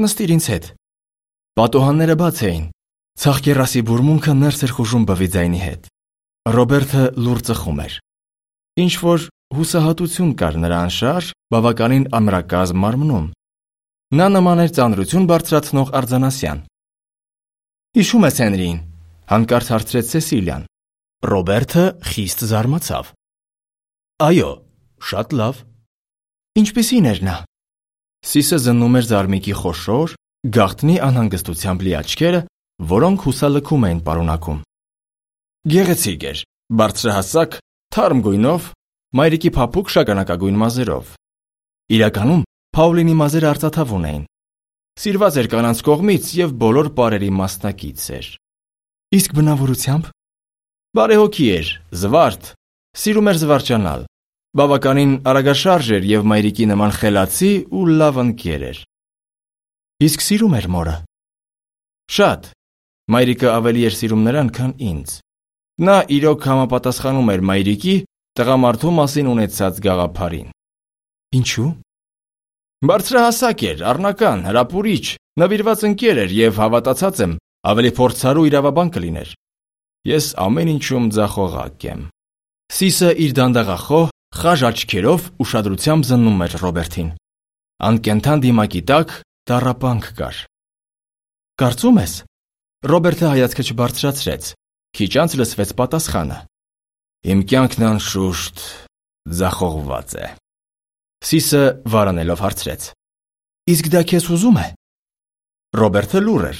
նստիր ինձ հետ»։ Պատուհանները բաց էին։ Ցախկեռասի բուրմունքը ներս էր խուժում բվի ձայնի հետ։ Ռոբերտը լուռ ծխում էր։ Ինչ-որ հուսահատություն կար նրա անշարժ, բավականին ամրակազմ մարմնում։ Նա նման էր ծանրություն բարձրացնող արձանասյան։ «Հիշում ես Հենրիին»։ Հանկարծ հարցրեց Սեսիլիան։ Ռոբերտը խիստ զարմացավ։ «Այո, շատ լավ»։ «Ինչպիսին էր նա»։ Սիսը զննում էր Զարմիկի խոշոր, գաղտնի անհանգստությամբ լի աչքերը, որոնք հուսալքում էին պարունակում։ Գեղեցիկ էր, բարձրահասակ, թարմ գույնով, մայրիկի փափուկ շագանակագույն մազերով։ Իրականում Փաուլինի մազերը արծաթավուն էին։ Սիրված էր կանանց կողմից և բոլոր պարերի մասնակից էր։ Իսկ բնավորությամբ բարեհոգի էր, զվարթ, սիրում էր զվարճանալ, բավականին արագաշարժ էր և մայրիկի նման խելացի ու լավ ընկեր էր։ Իսկ սիրում էր մորը։ Շատ։ Մայրիկը ավելի էր սիրում նրան, քան ինձ։ Նա իրոք համապատասխանում էր մայրիկի տղամարդու մասին ունեցած գաղափարին։ Ինչու՞։ Բարձրահասակ էր, առնական, հրապուրիչ, նվիրված ընկեր էր և հավատացած եմ, ավելի փորձառու իրավաբան կլիներ։ Ես ամեն ինչում ձախողակ եմ։ Սիսը իր դանդաղախոհ, խաժ աչքերով ուշադրությամբ զննում էր Ռոբերտին։ Անկենդան դիմակի տակ տառապանք կար։ Կարծում ես։ Ռոբերտը հայացքը չբարձրացրեց։ Քիչ անց լսվեց պատասխանը. Իմ կյանքն անշուշտ ձախողված է։ Սիսը վարանելով հարցրեց. Իսկ դա քեզ ուզում է։ Ռոբերտը լուռ էր։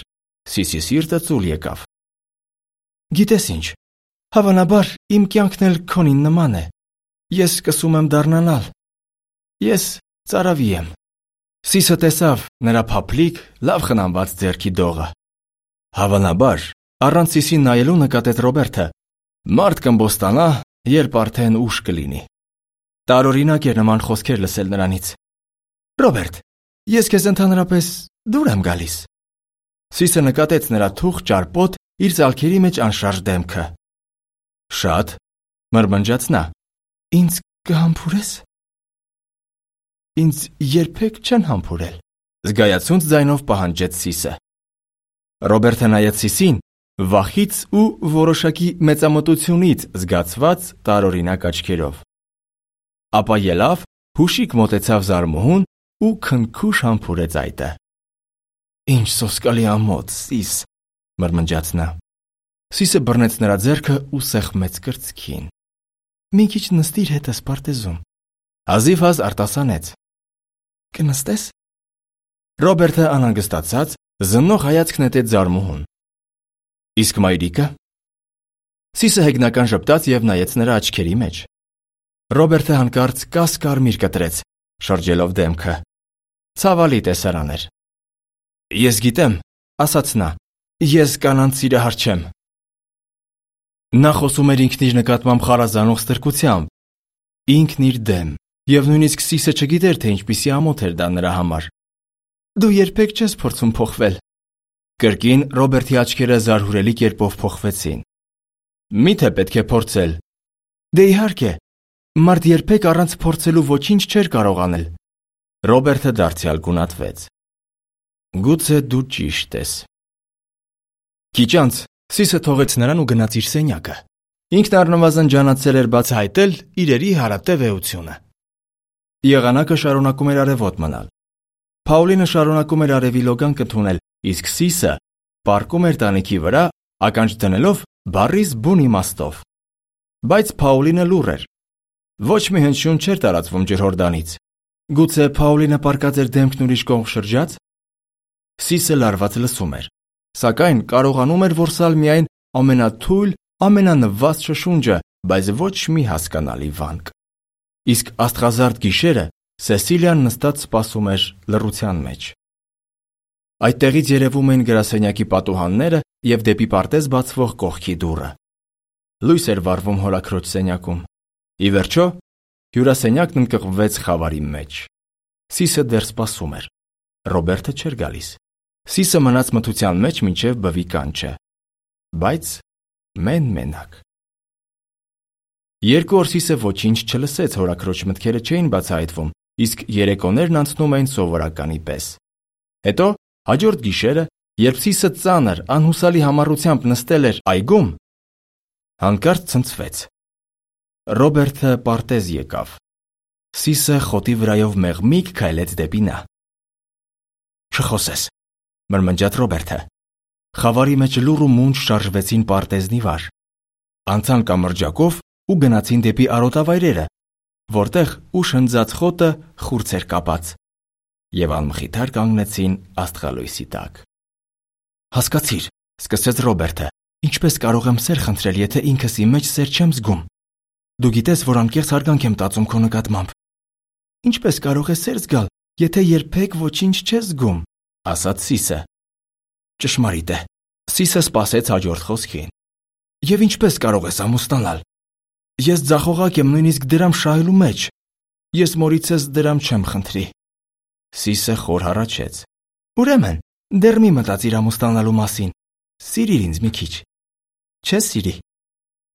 Սիսի սիրտը ծուլ եկավ։ Գիտես ինչ, Հավանաբար իմ կյանքն էլ քոնին նման է։ Ես սկսում եմ դառնանալ։ Ես ծարավի եմ։ Սիսը տեսավ նրա փափլիկ, լավ խնամված ձեռքի դողը։ Հավանաբար, առանց Սիսին նայելու նկատեց Ռոբերտը. մարդ կըմբոստանա, երբ արդեն ուշ կլինի։ Տարօրինակ էր նման խոսքեր լսել նրանից։ Ռոբերտ, ես քեզ ընդհանրապես դուր եմ գալիս։ Սիսը նկատեց նրա թուխ ճարպոտ իր ծալքերի մեջ անշարժ դեմքը։ Շատ, մրմնջաց նա։ Ինձ կհամբուրես։ Ինձ երբեք չեն համբուրել, զգայացունց ձայնով պահանջեց Սիսը։ Ռոբերտը նայեց Սիսին, վախից ու որոշակի մեծամտությունից զգացված տարօրինակ աչքերով։ Ապա ելավ, հուշիկ մոտեցավ Զարմուհուն ու քնքուշ համբուրեց այտը։ Ինչ սոսկալի ամոթ, Սիս, մրմնջաց նա։ Սիսը բռնեց նրա ձեռքը ու սեղմեց կրծքին։ Մի քիչ նստիր հետս պարտեզում։ Հազիվ-հազ արտասանեց։ Կնստես։ Ռոբերտը անհանգստացած զննող հայացք նետեց Զարմուհուն։ Իսկ մայրիկը։ Սիսը հեգնական ժպտաց եւ նայեց նրա աչքերի մեջ։ Ռոբերտը հանկարծ կաս-կարմիր կտրեց, շրջելով դեմքը։ Ցավալի տեսարան էր։ Ես գիտեմ, ասաց նա, ես կանանց սիրահար չեմ։ Նա խոսում էր ինքն իր նկատմամբ խարազանող ստրկությամբ, ինքն իր դեմ, եւ նույնիսկ Սիսը չգիտեր, թե ինչպիսի ամոթ էր դա նրա համար։ Դու երբեք չես փորձում փոխվել։ Կրկին Ռոբերտի աչքերը զարհուրելի կերպով փոխվեցին։ Միթե պետք է փորձել։ Դե իհարկե, մարդ երբեք առանց փորձելու ոչինչ չէր կարող անել։ Ռոբերտը դարձյալ գունատվեց։ Գուցե դու ճիշտ ես։ Քիչ անց Սիսը թողեց նրան ու գնաց իր սենյակը։ Ինքն առնվազն ջանացել էր բացահայտել իրերի հարատև էությունը։ Եղանակը շարունակում էր արևոտ մնալ։ Փաուլինը շարունակում էր արևի լոգանք ընդունել, իսկ Սիսը պառկում էր տանիքի վրա, ականջ դնելով բառից բուն իմաստով։ Բայց Փաուլինը լուռ էր։ Ոչ մի հնչյուն չէր տարածվում ջրհորդանից։ Գուցե Փաուլինը պառկած էր դեմքն ուրիշ կողմ շրջած։ Սիսը լարված լսում էր, սակայն կարողանում էր որսալ միայն ամենաթույլ, ամենանվազ շշունջը, բայց ոչ մի հասկանալի վանք։ Իսկ աստղազարդ գիշերը Սեսիլիան նստած սպասում էր լռության մեջ։ Այդտեղից երևում էին գրասենյակի պատուհանները եւ դեպի պարտեզ բացվող կողքի դուռը։ Լույս էր վառվում հորաքրոջ սենյակում։ Ի վերջո, հյուրասենյակն ընկղմվեց խավարի մեջ։ Սիսը դեռ սպասում էր։ Ռոբերտը չէր գալիս։ Սիսը մնաց մթության մեջ մինչև բվի կանչը։ Բայց մեն-մենակ։ Երկու օր Սիսը ոչինչ չլսեց, հորաքրոջ մտքերը չէին բացահայտվում, իսկ երեկոներն անցնում էին սովորականի պես։ Հետո հաջորդ գիշերը, երբ Սիսը ծանր, անհուսալի համառությամբ նստել էր այգում, հանկարծ ցնցվեց։ Ռոբերտը պարտեզ եկավ։ Սիսը խոտի վրայով մեղմիկ քայլեց դեպի նա։ Չխոսես, մրմնջաց Ռոբերտը։ Խավարի մեջ լուռ ու մունջ շարժվեցին պարտեզնի վար։ Անցան կամրջակով ու գնացին դեպի արոտավայրերը, որտեղ ուշ հնձած խոտը խուրց էր կապած, եւ անմխիթար կանգնեցին աստղալույսի տակ։ Հասկացիր, սկսեց Ռոբերտը, ինչպես կարող եմ սեր խնդրել, եթե ինքս իմ մեջ սեր չեմ զգում։ Դու գիտես, որ անկեղծ հարգանք եմ տածում քո նկատմամբ։ Ինչպես կարող ես սեր զգալ, եթե երբեք ոչինչ չես զգում, ասաց Սիսը։ Ճշմարիտ է։ Սիսը սպասեց հաջորդ խոսքին։ Եվ ինչպես կարող ես ամուսնանալ։ Ես ձախողակ եմ նույնիսկ դրամ շահելու մեջ։ Ես մորիցս դրամ չեմ խնդրի։ Սիսը խոր հառաչեց։ Ուրեմն, դեռ մի մտածիր ամուսնանալու մասին։ Սիրիր ինձ մի քիչ։ Չես սիրի։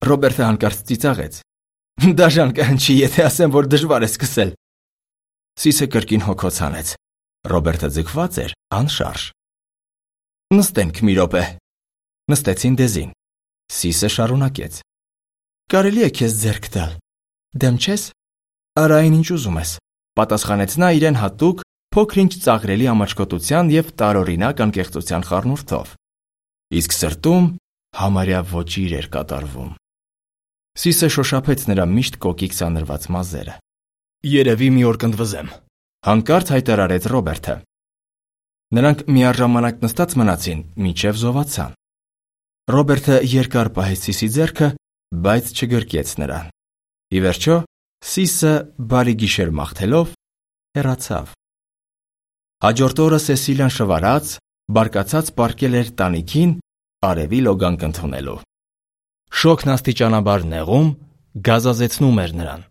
Ռոբերտը հանկարծ ծիծաղեց։ Դաժան կհնչի, եթե ասեմ, որ դժվար է սկսել։ Սիսը կրկին հոգոց հանեց։ Ռոբերտը ձգված էր անշարժ։ Նստենք մի րոպե։ Նստեցին դեզին։ Սիսը շարունակեց. Կարելի է քեզ ձեռք տալ։ Դեմ չես։ Արա այն ինչ ուզում ես, պատասխանեց նա իրեն հատուկ փոքր-ինչ ծաղրելի ամաչկոտության եւ տարօրինակ անկեղծության խառնուրդով։ Իսկ սրտում համարյա ոչիր էր կատարվում։ Սիսը շոշափեց նրա միշտ կոկիկ սանրված մազերը։ Երևի մի օր կընդվզեմ, հանկարծ հայտարարեց Ռոբերտը։ Նրանք միառժամանակ նստած մնացին, մինչև զովացան։ Ռոբերտը երկար պահեց Սիսի ձեռքը բայց չգրկեց նրան։ Ի վերջո, Սիսը բարի գիշեր մաղթելով հեռացավ։ Հաջորդ օրը Սեսիլիան շվարած, բարկացած պառկել էր տանիքին արևի լոգանք ընդունելու։ Շոգն աստիճանաբար նեղում, գազազեցնում էր նրան։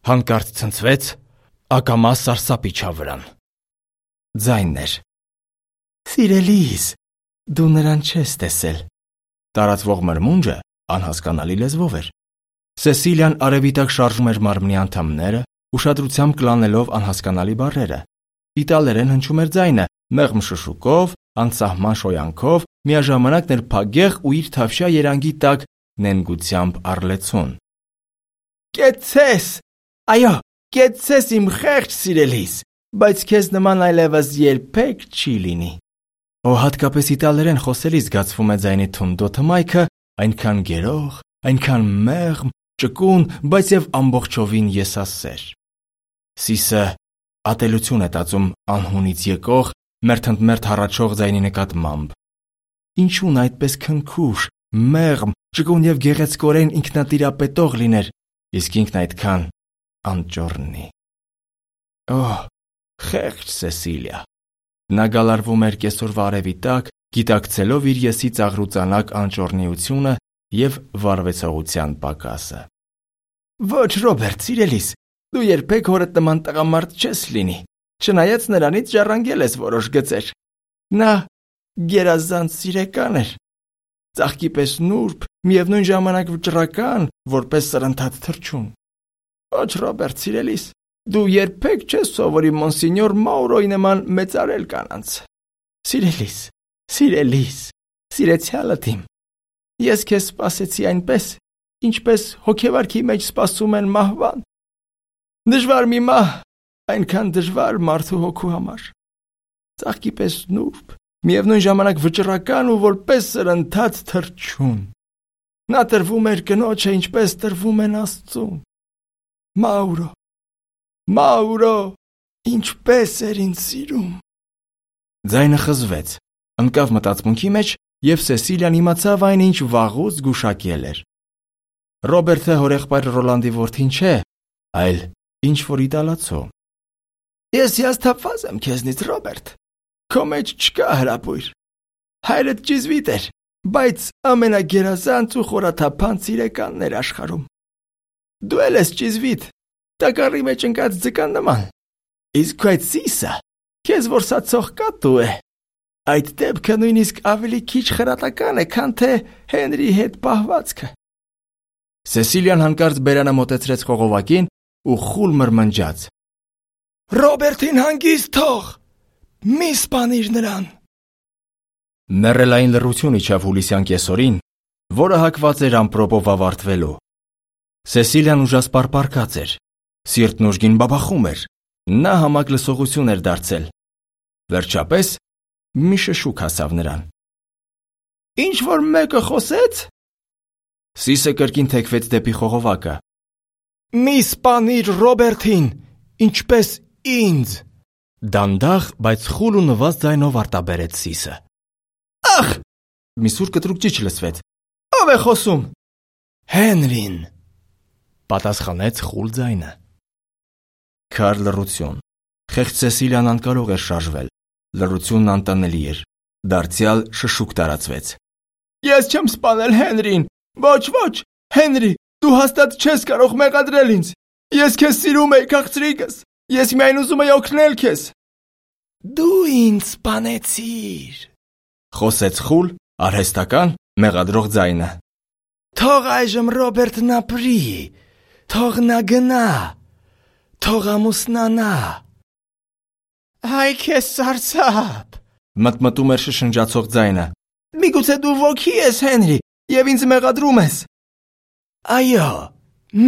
Հանկարծ ցնցվեց, ակամա սարսափ իջավ վրան։ Ձայններ. «Սիրելիս, դու նրան չես տեսել»։ Տարածվող մրմունջը անհասկանալի լեզվով էր։ Սեսիլիան արևի տակ շարժում էր մարմնի անդամները, ուշադրությամբ կլանելով անհասկանալի բառերը։ Իտալերեն հնչում էր ձայնը, մեղմ շշուկով, անսահման շոյանքով, միաժամանակ նրբագեղ ու իր թավշյա երանգի տակ նենգությամբ առլեցուն։ «Կեցցես, այո, կեցցես իմ խեղճ սիրելիս, բայց քեզ նման այլևս երբեք չի լինի»։ Օ, հատկապես իտալերեն խոսելիս զգացվում է ձայնի թունդոտ հմայքը, այնքան գերող, այնքան մեղմ, ճկուն, բայց եւ ամբողջովին եսասեր։ Սիսը ատելություն է տածում անհունից եկող, մերթընդմերթ հառաչող ձայնի նկատմամբ։ Ինչու՞ն այդպես քնքուշ, մեղմ, ճկուն եւ գեղեցկորեն ինքնատիրապետող լիներ, իսկ ինքն այդքան անճոռնի։ Օ, խեղճ Սեսիլիա։ Նա գալարվում էր կեսօրվա արևի տակ, գիտակցելով իր եսի ծաղրուծանակ անճոռնիությունը եւ վարվեցողության պակասը։ Ոչ, Ռոբերտ, սիրելիս, դու երբեք հորդ նման տղամարդ չես լինի, չնայած նրանից ժառանգել ես որոշ գծեր։ Նա գերազանց սիրեկան էր, ծաղկի պես նուրբ, միևնույն ժամանակ վճռական, որպես սրընթաց թռչուն։ Ոչ, Ռոբերտ, սիրելիս, դու երբեք չես սովորի մոնսինյոր Մաուրոյի նման մեծարել կանանց։ Սիրելիս, սիրելիս, սիրեցյալդ իմ, ես քեզ սպասեցի այնպես, ինչպես հոգեվարքի մեջ սպասում են մահվան։ Դժվար մի մահ, այնքան դժվար մարդու հոգու համար։ Ծաղկի պես նուրբ, միևնույն ժամանակ վճռական ու որպես սրընթաց թռչուն։ Նա տրվում էր կնոջը, ինչպես տրվում են Աստծուն։ Մաուրո, Մաուրո, ինչպես էր ինձ սիրում։ Ձայնը խզվեց, ընկավ մտածմունքի մեջ, եւ Սեսիլիան իմացավ այն, ինչ վաղուց զգուշակել էր։ Ռոբերտը հորեղբայր Ռոլանդի որդին չէ, այլ ինչ որ իտալացու։ Ես հիասթափված եմ քեզնից, Ռոբերտ։ Քո մեջ չկա հրապույր։ Հայրդ ճիզվիտ էր, բայց ամենագերազանց ու խորաթափանց սիրեկանն էր աշխարհում։ Դու էլ ես ճիզվիտ, տակառի մեջ ընկած ձկան նման։ Իսկ այդ Սիսը քեզ որսացող կատու է։ Այդ դեպքը նույնիսկ ավելի քիչ խրատական է, քան թե Հենրի հետ պահվածքը։ Սեսիլիան հանկարծ բերանը մոտեցրեց խողովակին ու խուլ մրմնջաց. Ռոբերտին հանգիստ թող, մի սպանիր նրան։ Մեռելային լռություն իջավ հուլիսյան կեսօրին, որը հակված էր ամպրոպով ավարտվելու։ Սեսիլիան ուժասպառ պառկած էր, սիրտն ուժգին բաբախում էր, նա համակ լսողություն էր դարձել։ Վերջապես մի շշուկ հասավ նրան։ Ինչ որ մեկը խոսեց։ Սիսը կրկին թեքվեց դեպի խողովակը։ Մի սպանիր Ռոբերտին, ինչպես ինձ։ Դանդաղ, բայց խուլ ու նվազ ձայնով արտաբերեց Սիսը։ Ախ, մի սուր կտրուկ ճիչ լսվեց։ Ո՞վ է խոսում։ Հենրին, պատասխանեց խուլ ձայնը։ Քար լռություն։ Խեղճ Սեսիլիան անկարող էր շարժվել։ Լռությունն անտանելի էր։ Դարձյալ շշուկ տարածվեց։ Ես չեմ սպանել Հենրին։ Ոչ, ոչ, Հենրի, դու հաստատ չես կարող մեղադրել ինձ։ Ես քեզ սիրում եի, քաղցրիկս։ Ես միայն ուզում եի օգնել քեզ։ Դու ինձ սպանեցիր, խոսեց խուլ, արհեստական, մեղադրող ձայնը։ Թող այժմ Ռոբերտն ապրի, թող նա գնա, թող ամուսնանա։ Հայ քեզ սարսափ, մտմտում էր շշնջացող ձայնը։ Միգուցե դու ոգի ես, Հենրի, եւ ինձ մեղադրում ես։ Այո,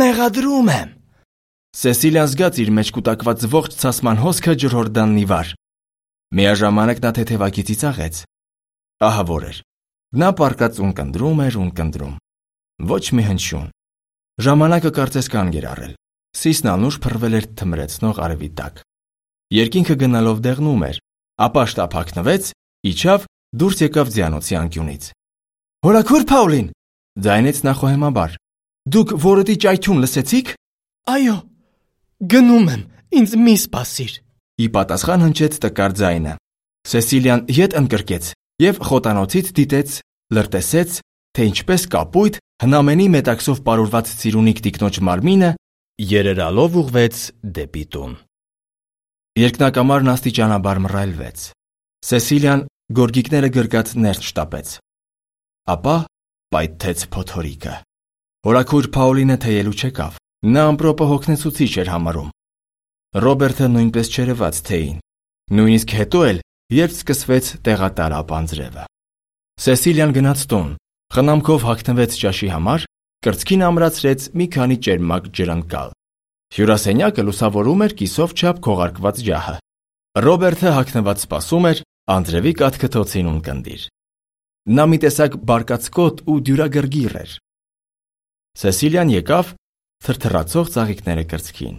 մեղադրում եմ։ Սեսիլիան զգաց իր մեջ կուտակված ողջ ցասման հոսքը ջրհորդաննի վար։ Միաժամանակ նա թեթևակից ծիծաղեց։ Ահա որ էր։ Նա պառկած ունկնդրում էր, ունկնդրում։ Ոչ մի հնչյուն։ Ժամանակը կարծես կանգ էր առել։ Սիսն անուշ փռվել էր թմրեցնող արևի տակ։ Երկինքը գնալով դեղնում էր, ապա շտապ հագնվեց, իջավ, դուրս եկավ ձյանոցի անկյունից։ Հորաքուր Փաուլին, Ձայնեց նա խոհեմաբար։ Դուք որոտի ճայթյուն լսեցիք։ Այո, գնում եմ, ինձ մի սպասիր։ Ի պատասխան հնչեց տկար ձայնը։ Սեսիլիան ետ ընկրկեց և խոտանոցից դիտեց, լրտեսեց, թե ինչպես կապույտ, հնամենի մետաքսով պարուրված ծիրունիկ տիկնոջ մարմինը երերալով ուղղվեց դեպի տուն։ Երկնակամարն աստիճանաբար մռայլվեց։ Սեսիլիան գորգիկները գրկած ներս շտապեց։ Ապա պայթեց փոթորիկը։ Հորաքույր Փաուլինը թեյելու չեկավ։ Նա ամպրոպը հոգնեցուցիչ էր համարում։ Ռոբերտը նույնպես չերևաց թեյին, նույնիսկ հետո էլ, երբ սկսվեց տեղատարապ անձրևը։ Սեսիլիան գնաց տուն, խնամքով հագնվեց ճաշի համար, կրծքին ամրացրեց մի քանի ճերմակ ջրընկալ։ Հյուրասենյակը լուսավորում էր կիսով չափ քողարկված ջահը։ Ռոբերտը հագնված սպասում էր անձրևի կաթքթոցին ունկնդիր։ Նա մի տեսակ բարկացկոտ ու դյուրագրգիռ էր։ Սեսիլիան եկավ, թրթռացող ծաղիկները կրծքին։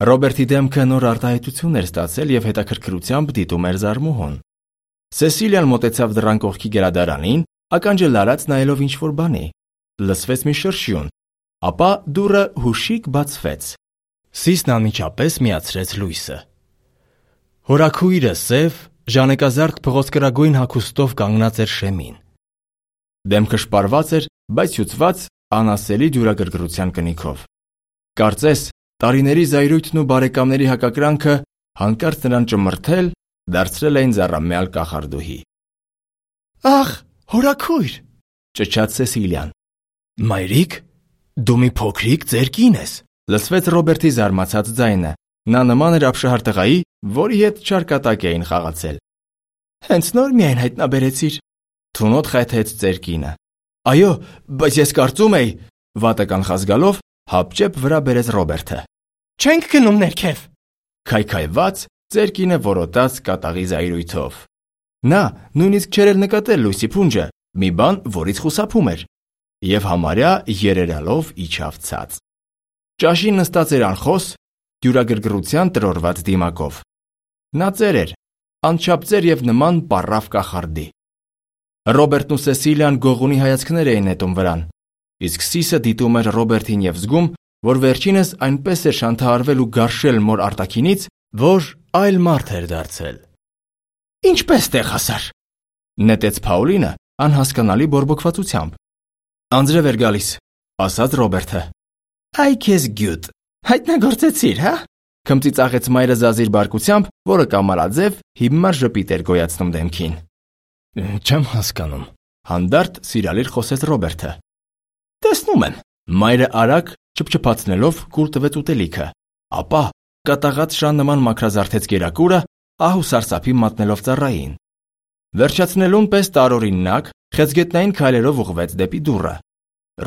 Ռոբերտի դեմքը նոր արտահայտություն էր ստացել և հետաքրքրությամբ դիտում էր զարմուհուն։ Սեսիլիան մոտեցավ դռան կողքի գրադարանին, ականջը լարած նայելով ինչ-որ բանի։ Լսվեց մի շրշյուն, ապա դուռը հուշիկ բացվեց։ Սիսն անմիջապես միացրեց լույսը։ Հորաքույրը սև, ժանեկազարդ փղոսկրագույն հագուստով կանգնած էր շեմին։ Դեմքը շպարված էր, բայց հյուծված անասելի դյուրագրգռության կնիքով։ Կարծես, տարիների զայրույթն ու բարեկամների հակակրանքը հանկարծ նրան ճմրթել դարձրել էին զառամյալ կախարդուհի։ Ախ, հորաքույր, ճչաց Սեսիլիան։ Մայրիկ, դու մի փոքրիկ ձեր կին ես, լսվեց Ռոբերտի զարմացած ձայնը։ Նա նման էր ապշահար տղայի, որի հետ չարկատակ էին խաղացել։ Հենց նոր միայն հայտնաբերեցիր։ Թունոտ խայթեց ծեր կինը։ Այո, բայց ես կարծում էի, վատը կանխազգալով հապճեպ վրա բերեց Ռոբերտը։ Չենք գնում ներքև։ Քայքայված ծեր կինը որոտաց կատաղի զայրույթով։ Նա նույնիսկ չէր նկատել լույսի փունջը, մի բան, որից խուսափում էր, և համարյա երերալով իջավ ցած։ Ճաշին նստած էր անխոս, դյուրագրգռության տրորված դիմակով։ Նա ծեր էր, անչափ ծեր և նման պառավ կախարդի։ Ռոբերտն ու Սեսիլիան գողունի հայացքներ էին նետում վրան, իսկ Սիսը դիտում էր Ռոբերտին և զգում, որ վերջինս այնպես էր շանթահարվել ու գարշել մոր արտաքինից, որ այլ մարդ էր դարձել։ Ինչպես տեղ հասար, նետեց Փաուլինը անհասկանալի բորբոքվածությամբ։ Անձրև էր գալիս, ասաց Ռոբերտը։ Այ քեզ գյուտ, հայտնագործեցիր, հա։ Քմծիծաղեց մայրը զազիր բարկությամբ, որը կամարաձև հիմար ժպիտ էր գոյացնում դեմքին։ Չեմ հասկանում, հանդարտ սիրալիր խոսեց Ռոբերտը։ Տեսնում եմ։ Մայրը արագ չփչփացնելով կուր տվեց ուտելիքը, ապա կատաղած շան նման մաքրազարդեց գերակուրը, ահ ու սարսափի մատնելով ծառային։ Վերջացնելուն պես տարօրինակ, խեցգետնային քայլերով ուղղվեց դեպի դուռը։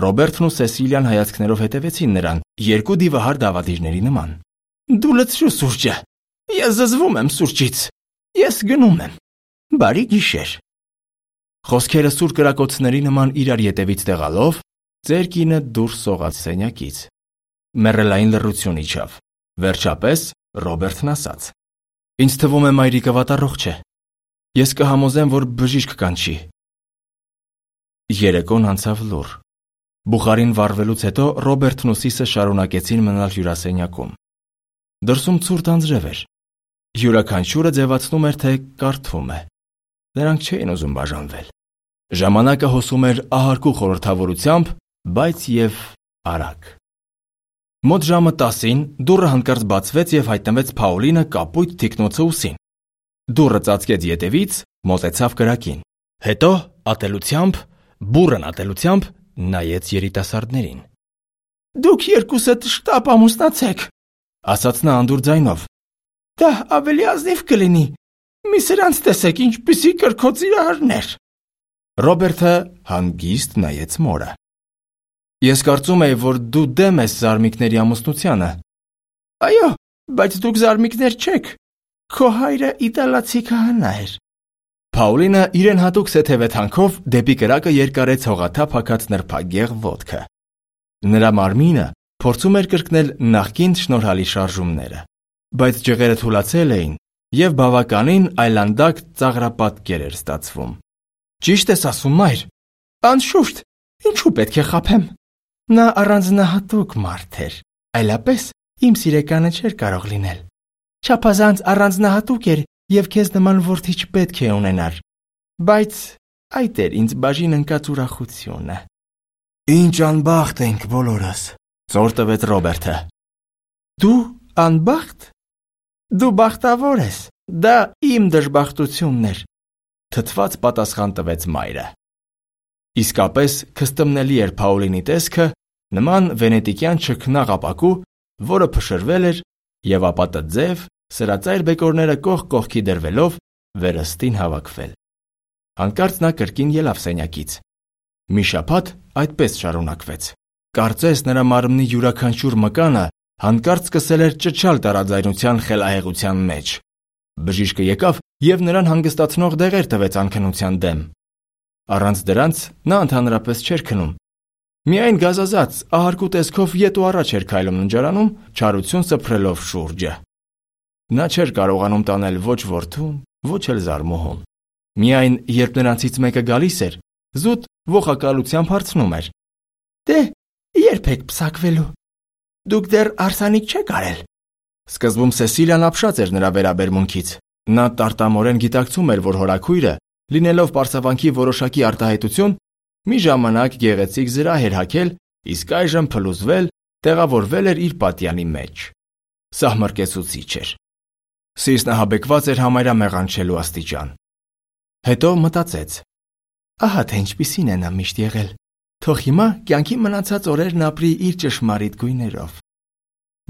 Ռոբերտն ու Սեսիլիան հայացքներով հետևեցին նրան, երկու դիվահար դավադիրների նման։ Դու լցրու սուրճը։ Ես զզվում եմ սուրճից։ Ես գնում եմ։ Բարի գիշեր։ Խոսքերը սուր կրակոցների նման իրար ետևից տեղալով, ծեր կինը դուրս սողաց սենյակից։ Մեռելային լռություն իջավ։ Վերջապես Ռոբերտն ասաց. Ինձ թվում է մայրիկը վատառողջ է։ Ես կհամոզեմ, որ բժիշկ կանչի։ Երեկոն անցավ լուռ։ Բուխարին վառվելուց հետո Ռոբերտն ու Սիսը շարունակեցին մնալ հյուրասենյակում։ Դրսում ցուրտ անձրև էր։ Յուրաքանչյուրը ձևացնում էր, թե կարդում է։ Նրանք չէին ուզում բաժանվել։ Ժամանակը հոսում էր ահարկու խորհրդավորությամբ, բայց և արագ։ Մոտ ժամը տասին դուռը հանկարծ բացվեց և հայտնվեց Փաուլինը կապույտ թիկնոցը ուսին։ Դուռը ծածկեց ետևից, մոտեցավ կրակին։ Հետո ատելությամբ, բուռն ատելությամբ նայեց երիտասարդներին։ Դուք երկուսդ շտապ ամուսնացեք, ասաց նա անդուր ձայնով։ Դա ավելի ազնիվ կլինի։ Մի սրանց տեսեք, ինչպիսի կրքոծ իրարներ։ Ռոբերտը հանգիստ նայեց մորը։ Ես կարծում էի, որ դու դեմ ես զարմիկների ամուսնությանը։ Այո, բայց դուք զարմիկներ չեք։ Քո հայրը իտալացի քահանա էր։ Փաուլինը իրեն հատուկ սեթևեթանքով դեպի կրակը երկարեց հողաթափ հագած նրբագեղ ոտքը։ Նրա մարմինը փորձում էր կրկնել նախկին շնորհալի շարժումները, բայց ջղերը թուլացել էին և բավականին այլանդակ ծաղրապատկեր էր ստացվում։ Ճիշտ ես ասում, մայր։ Անշուշտ, Ինչու պետք է խաբեմ։ Նա առանձնահատուկ մարդ էր, այլապես իմ սիրեկանը չէր կարող լինել։ Չափազանց առանձնահատուկ էր եւ քեզ նման որդի չպետք է ունենար։ Բայց այդ էր ինձ բաժին ընկած ուրախությունը։ Ինչ անբախտ ենք բոլորս, ծոր տվեց Ռոբերտը։ Դու անբախտ։ Դու բախտավոր ես։ Դա իմ դժբախտությունն էր, թթված պատասխան տվեց մայրը։ Իսկապես քստմնելի էր Փաուլինի տեսքը, նման վենետիկյան չքնաղ ապակու, որը փշրվել էր եւ ապա տձև, սրածայր բեկորները կողք կողքի դրվելով վերստին հավաքվել։ Հանկարծ նա կրկին ելավ սենյակից։ Մի շաբաթ այդպես շարունակվեց։ Կարծես նրա մարմնի յուրաքանչյուր մկանը հանկարծ սկսել էր ճչալ տարաձայնության խելահեղության մեջ։ Բժիշկը եկավ եւ նրան հանգստացնող դեղեր տվեց անքնության դեմ։ Առանց դրանց նա ընդհանրապես չէր քնում։ Միայն գազազած, ահարկու տեսքով ետ ու առաջ էր քայլում ննջարանում, չարություն սփռելով շուրջը։ Նա չէր կարողանում տանել ոչ որդուն, ոչ էլ զարմուհուն։ Միայն երբ նրանցից մեկը գալիս էր, զուտ ողակալությամբ հարցնում էր. «Դե, երբ եք պսակվելու։ Դուք դեռ արսանիք չեք արել»։ Սկզբում Սեսիլիան ապշած էր նրա վերաբերմունքից։ Նա տարտամորեն գիտակցում էր, որ հորաքույրը, լինելով պարսավանքի որոշակի արտահայտություն, մի ժամանակ գեղեցիկ զրահ էր հագել, իսկ այժմ փլուզվել, տեղավորվել էր իր պատյանի մեջ։ Սահմռկեցուցիչ էր։ Սիրտնահաբեկված էր համարյա մեղանչելու աստիճան։ Հետո մտածեց. ահա թե ինչպիսին է նա միշտ եղել։ Թող հիմա կյանքի մնացած օրերն ապրի իր ճշմարիտ գույներով։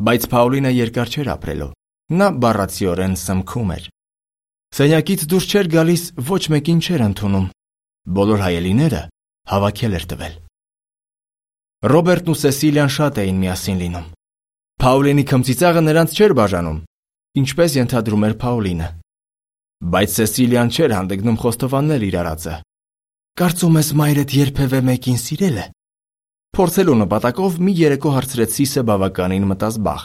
Բայց Փաուլինը երկար չէր ապրելու։ Նա բառացիորեն սմքում էր։ Սենյակից դուրս չէր գալիս, ոչ մեկին չէր ընդունում։ Բոլոր հայելիները հավաքել էր տվել։ Ռոբերտն ու Սեսիլիան շատ էին միասին լինում։ Փաուլինի քմծիծաղը նրանց չէր բաժանում, ինչպես ենթադրում էր Փաուլինը։ Բայց Սեսիլիան չէր հանդգնում խոստովանել իր արածը։ Կարծում ես մայրդ երբևէ մեկին սիրել է։ Փորձելու նպատակով մի երեկո հարցրեց Սիսը բավականին մտազբաղ։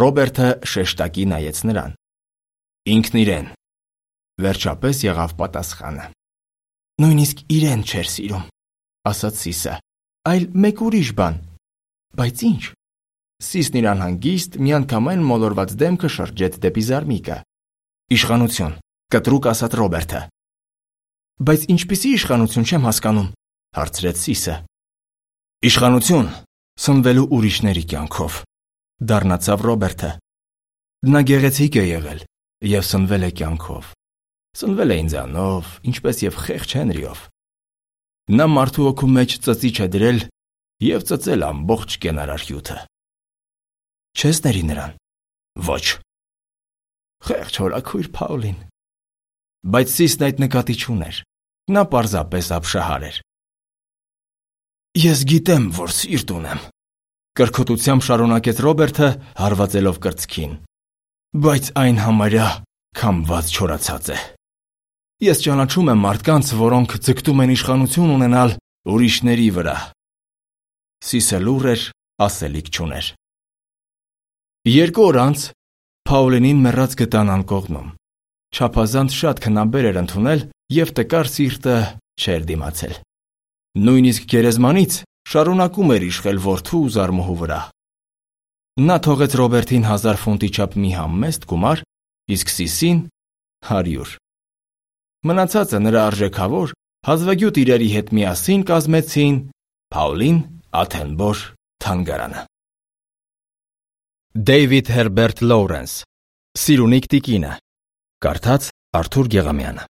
Ռոբերտը շեշտակի նայեց նրան։ Ինքն իրեն։ Վերջապես եղավ պատասխանը։ Նույնիսկ իրեն չէր սիրում, ասաց Սիսը, այլ մեկ ուրիշ բան։ Բայց ինչ։ Սիսն իր անհանգիստ, միանգամայն մոլորված դեմքը շրջեց դեպի զարմիկը։ Իշխանություն, կտրուկ ասաց Ռոբերտը։ Բայց ինչպիսի իշխանություն չեմ հասկանում, հարցրեց Սիսը։ Իշխանություն, սնվելու ուրիշների կյանքով, դառնացավ Ռոբերտը։ Նա գեղեցիկ է եղել եւ սնվել է կյանքով։ Սնվել է ինձանով, ինչպես եւ խեղճ Հենրիով։ Նա մարդու օգու մեջ ծծիչ է դրել եւ ծծել ամբողջ կենարար հյութը։ Չես ների նրան։ Ոչ։ Խեղճ հորաքույր Փաուլին։ Բայց Սիսն այդ նկատի չուներ։ Նա պարզապես ապշահար էր։ Ես գիտեմ, որ սիրտ ունեմ, կրկոտությամբ շարունակեց Ռոբերտը, հարվածելով կրծքին։ Բայց այն համարյա քամված չորացած է։ Ես ճանաչում եմ մարդկանց, որոնք ձգտում են իշխանություն ունենալ ուրիշների վրա։ Սիսը լուռ էր, ասելիք չուներ։ Երկու օր անց Փաուլինին մեռած գտան անկողնում։ Չափազանց շատ քնաբեր էր ընդունել եւ տկար սիրտը չէր դիմացել։ Նույնիսկ գերեզմանից շարունակում էր իշխել որդու ու զարմուհու վրա։ Նա թողեց Ռոբերտին հազար ֆունտի չափ մի համեստ գումար, իսկ Սիսին հարյուր։ Մնացածը նրա արժեքավոր հազվագյուտ իրերի հետ միասին կազմեցին Փաուլին Աթենբոր թանգարանը։ Դեյվիդ Հերբերտ Լոուրենս, Սիրունիկ տիկինը, կարդաց Արթուր Գեղամյանը։